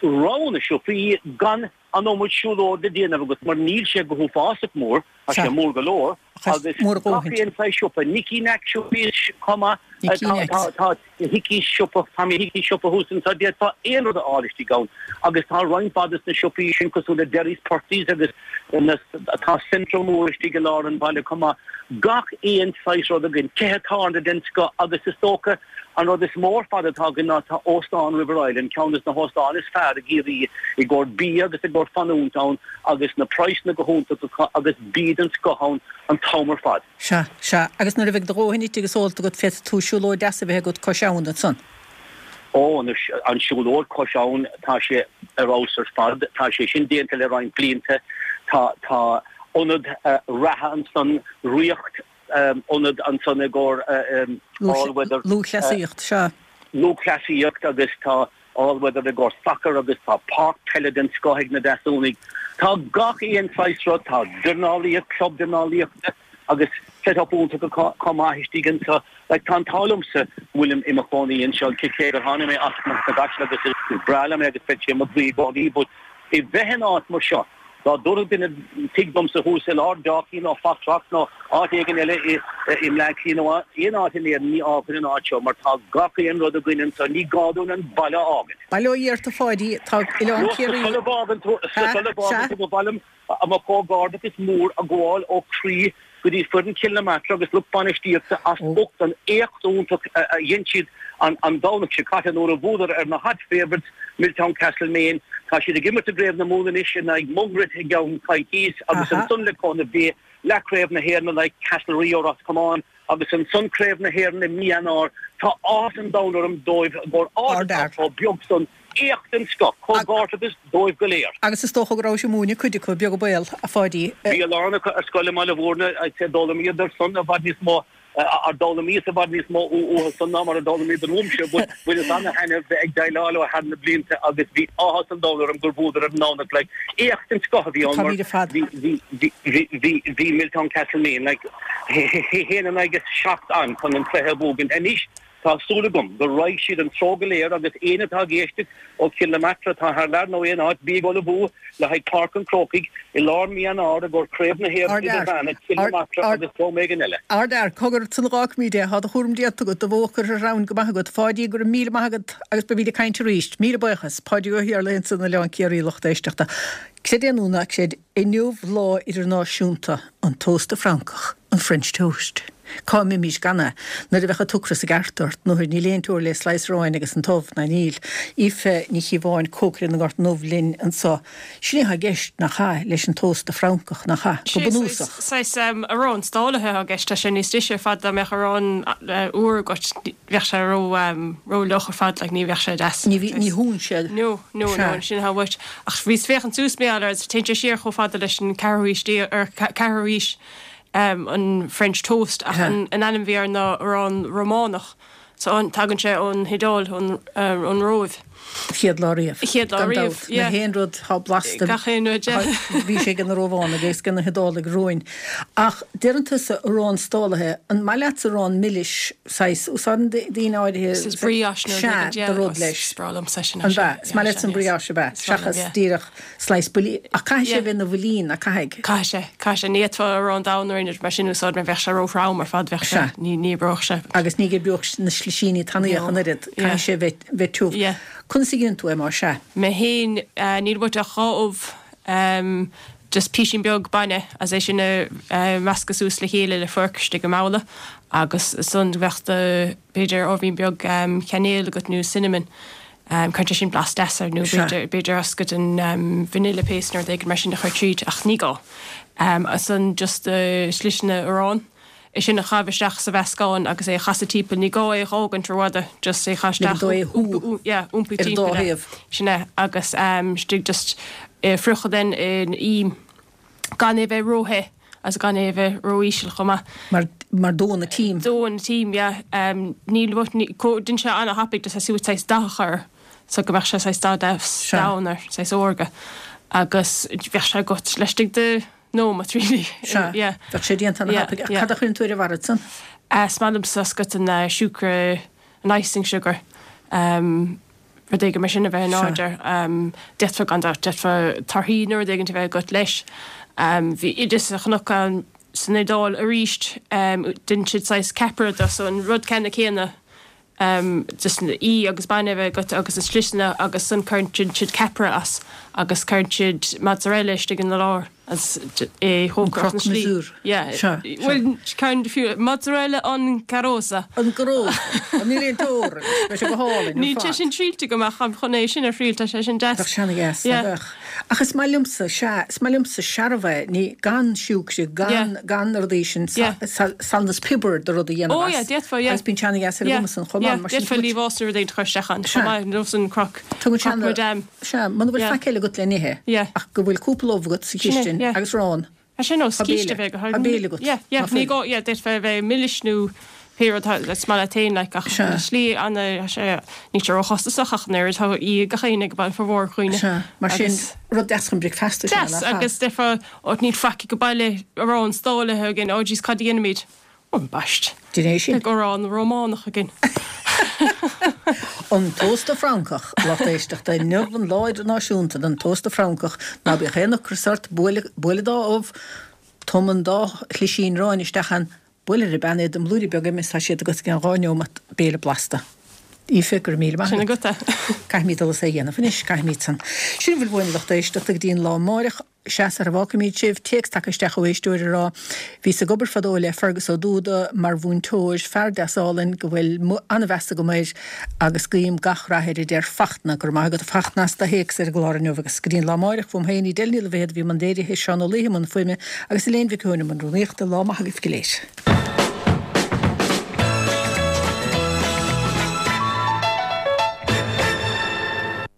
rogha na siopaí gan an iomad siúlóid le déanamh agat mar níl sé go huafásach mór, tá sé mór go leor agus gach aon saghas siopa, Nicky Nack siopaí chomh maith, tá tá Hickey's siopa, Tommy Hickey's siopa thuas anseo, d'fhéadfá aon rud a fháil istigh ann agus tá roinnt mhaith des na siopaí sin cosúil le Derry's Purty's agus na tá Centra mór istigh i lár an bhaile chomh maith. Gach aon saghas rud againn, tithe tábhairne den scoth agus is dócha An rud is mó ar fad atá againn ná tá Óstán River Island, ceann des na hóstáin is fearr i gCiarraí i gcomhair bia agus i gcomhair fanúint ann agus na praghsanna go hiontach acu agus bia den scoth ann an t-am ar fad. Sea, sea. Agus nuair a bheidh do dhóthain ite agus ólta agat féadfaidh tú siúlóid deas a bheith agat cois abhann ansan. Ó, anois, an siúlóid cois abhann, tá sé ar fheabhas ar fad. Tá sé sin déanta le roinnt blianta. Tá, tá ionad reatha ansan, Ríocht, ionad ansan i gcomhair all weather. Lúthchleasaíocht, sea. Lúthchleasaíocht agus tá all weather i gcomhair sacar agus tá páirc peile den scoth ag na Deasúnaigh. Tá gach aon saghas rud, tá dornálaíocht, club dornálaíochta agus set up iontach acu chomh maith istigh anseo. Like tá an t-ádh liomsa go bhfuilim i mo chónaí anseo cé gur tháinig mé as Cnoc na gCaiseal agus is breá liom é agus beidh sé i mo chroí i gcónaí but i bheith in áit mar seo, Dá dtabharfadh duine tigh domsa thuas i lár Dalkey nó Foxrock nó áit éigin eile i mBleá Cliath nó aon áit in Éirinn ní fhágfainn an áit seo mar tá gach aon rud againn anseo, ní gá dúinn an baile a fhágaint. Bail ó Dhia ort a Pháidí, tá Oileán Ciarraí. Sula bhfágann tú, sula bhfágann tú ba mhaith liom mo chomhghairdeachas mór a ghabháil ó chroí go dtí foireann Chill na Martra agus lucht bainistíochta as ucht an éacht iontach a dhein siad an Domhnach seo caite nuair a bhuadar ar na hot favourites Milltown Castlemaine. Tá siad ag imirt i gCraobh na Mumhan anois in aghaidh Mungret i gceann coicíos agus ansan le cúnamh Dé Leathchraobh na hÉireann in aghaidh Castlerea ó Ros Comáin agus ansan Craobh na hÉireann i mí Eanáir. Tá áthas an domhain orm dóibh i gcomhair áit atá chomh beag san. Éacht den scoth. Comhghairdeachas dóibh go léir. Agus is dócha go raibh sibh ag múineadh cuid acu, beag an baol, a Pháidí. Bhí a lán acu ar scoil i mBaile Mhúirne, d'fhoghlaimíodar san i bhfad níos mó. Ar d'fhoghlaimíos i bhfad níos mó uathu san ná mar a d'fhoghlaimíodar uaimse, but bhaineas ana-thaitneamh bheith ag déileáil leo thar na blianta agus bhí áthas an domhain orm gur bhuadar ar an nDomhnach. Like, éacht den scoth a bhí ann mar bhí, bhí, bhí, bhí, bhí, bhí Milltown Castlemaine, like, haon in aghaidh a seacht ann chun an cluiche a bhuachaint. Anois, Tá súil agam go raghaidh siad an treo go léir agus éinne atá ag éisteacht ó Chill na Martra atá thar lear nó aon áit, bí ag ullmhú le haghaidh Páirc an Chrócaigh i lár mí Eanáir i gcomhair Craobh na hÉireann Idirmheánach, Cill na Martra agus dream éigin eile. Ardfhear, cogar san a dh'fhágfaimid é, tá do chúram déanta agat, do bhó curtha ar an abhainn go maith agat. Pháidí, go raibh míle maith agat agus beimid ag caint arís. Míle buíochas. Páidí Ó hIarlaithe ansan in Oileán Ciarraí, lucht éisteachta. Creid é nó ná creid, inniu Lá Idirnáisiúnta an Tósta Francach, an French Toast. Cá mbeimís gan é? Nuair a bheadh an t-ocras i gceart ort, nuair níl aon teora le slice aráin agus an t-ubh, ná níl. Aoife Ní Chíobháin, cócaire na nGort nDubh linn anso. Sin é atá i gceist, nach ea, leis an tósta Francach, nach ea? Go bunúsach. Saghas arán stálaithe atá i gceist. Tá sé níos deise ar fad dá mbeadh arán úr agat, bheadh sé ró-fhliuch ar fad, like, ní bheadh sé deas. Ní ní shúnn sé. No, no, no, sin atá uait. Ach bhíos féachaint suas mé air, téann sé siar chomh fada leis an ceathrú haois déag, ar ceathrú haois. an French toast ach an ainm a bhí air ná arán Rómánach. So tagann sé ón hIodáil, ón Róimh. Chéad lá riamh. Chéad lá Gan riamh, dabht. yeah. Na haon rud atá blasta. Gach aon rud, yeah. Bhí sé ag na Rómhánaigh agus ag na hIodálaigh romhainn. Ach deireann tusa arán stálaithe, an maith leatsa arán milis, saghas, úsáideann daoine áirithe Saghas brioche nó sea, rud éigin, yeah. do rud leis. Is breá liomsa sin, An ea? Is maith leatsa an brioche, ab ea? Seachas díreach slice builín. Ach caithfidh sé a bheith ina bhuilín, nach caithfidh? Caithfidh sé, caithfidh sé. Ní fhéadfá arán donn nó aon rud mar sin a úsáid mar bheadh sé ró-throm ar fad, bheadh sé, ní, ní oibreodh sé. Agus ní oibreodh na slisíní tanaí ach an oiread, caithfidh sé a bheith, bheith tiubh. Conas a dhéanann tú é más ea? Mé féin, níl uait ach dhá ubh, just písín beag bainne agus é sin a mheascadh suas le chéile le forc istigh i mbabhla agus ansan bheadh do, b'fhéidir ábhairín beag cainéil agat nó cinnamon. Cuireann sé sin blas deas air nó b'fhéidir, b'fhéidir oscailt an vanilla paste nó rud éigin mar sin a chur tríd ach ní gá. Ansan just do sliseanna aráin, é sin a chaitheamh isteach sa mheascán agus é a chasadh timpeall, ní gá é a dh'fhágaint rófhada, just é a chaitheamh Ligean isteach, dó é a shú yeah, iompaigh ar an dá timpeall é. thaobh. Sin é agus istigh just é a friochadh then in im gan é a bheith ró-the agus gan é a bheith ró-íseal chomh maith. Mar, mar dónn an t-im. Dónn an t-im, yeah. Níl, ní, déan sé ana-thapaidh just saghas saghas dath a chur so go mbeadh sé saghas dath deas Sea. donn ar saghas órga agus bheadh sé agat laistigh de nóiméad really. Sea. Yeah. Bheadh sé déanta ana-thapaidh. Ach Yeah, yeah. cad a chuireann tú ar a bharr ansan? Is maith liomsa oscailt an siúcra, an icing sugar. Rud éigin mar sin a bheith in airde. D'fhéadfá gan dabht, d'fhéadfá torthaí nó rud éigin a bheith agat leis. Bhí oideas a chonac ann san Iodáil arís, dhein siad saghas ceapaire de, so an rud ceannann céanna, just í agus bainne a bheith agat agus na sliseanna agus ansan cuireann siad ceapaire as agus cuireann siad mozzarella istigh ina lár. As é An chócaireacht croque na slí. monsieur. Yeah. Sea, sea. Bhuel, ceann de fiú, mozzarella an carosa. An carosa. Níl aon teora leis. Beidh sé go hálainn ar Níl sé fad. sin triailte agam ach táim chun é sin a thriail, tá sé sin deas. Bheadh sé ana-dheas, Yeah. nach bheadh? Ach is maith liomsa, sea, is maith liomsa searbh é, ní, gan siúcra, gan, Yeah. gan na rudaí sin, Yeah. salann is piobar do rud a dhéanamh Oh yeah, as. d'fhéadfá, yeah. Agus bíonn sé ana-dheas ar an Yeah. gcuma san chomh Yeah, maith, mar sin d'fhéadfá tá muid- liamhás nó rud éigin a chur isteach ann, Sea. chomh maith, nós an croque, Tugann sé croque ana, madame. sea, muna bhfuil Yeah. faic eile agat le n-ithe, Yeah. ach go bhfuil cúpla ubh agat sa Sin é, chistin yeah. agus arán. Tá sé nós Tá císte béile. bheith go Tá béile agat. Yeah, yeah, Ná ní fuil. gá, yeah, d'fhéadfá a bheith milis nó pé rud atá is maith leat féin, like, ach Sea. slí ana, tá sé, níl sé róchostasach ach an oiread, tá í gach éinne ag baile formhór dhaoine. Sea, mar sin, Agus- rud deas chun bricfeasta sin, Deas, nach ea? agus déarfá, ó, níl faic ag baile arán stálaithe againn, oh jeez, cad a dhéanfaimid? Ó, ambaist. Déan é sin. Beidh arán Rómánach againn. An tósta Francach, lucht éisteachta, inniu an Lá Idirnáisiúnta don Tósta Francach, ná bíodh aon ocras ort, buail buail dhá ubh, tum an dá shlisín aráin isteach ann, buail ar an bpeann iad i mblúirí beaga im is tá siad agat i gceann dhá neomat, béile blasta. Aoife, go raibh míle maith Sin agat. agat é. Caithfimid dul is é a dhéanamh anois, caithfimid san. Sin a bhfuil uainn, lucht éisteachta, go dtí an lá amáireach. Sea, sara bhfágfaimid sibh, téacs tagtha isteach ó éisteoir ag rá, Bhíos ag obair fadó le Fergus Ó Dúda mar mhúinteoir, fear deas álainn go bhfuil an-mheas agam air agus guím gach rath air, a deir Fachtna. Go raibh maith agat a Fachtna as do théacs ar an gclár inniu agus go dtí an lá amáireach, uaim féin, Edel Ní Loibhéad a bhí i mbun léirithe, Seán Ó Laoithe i mbun fuaime agus Elaine Mhic Eoin i mbun rúnaíochta. Lá maith agaibh go léir.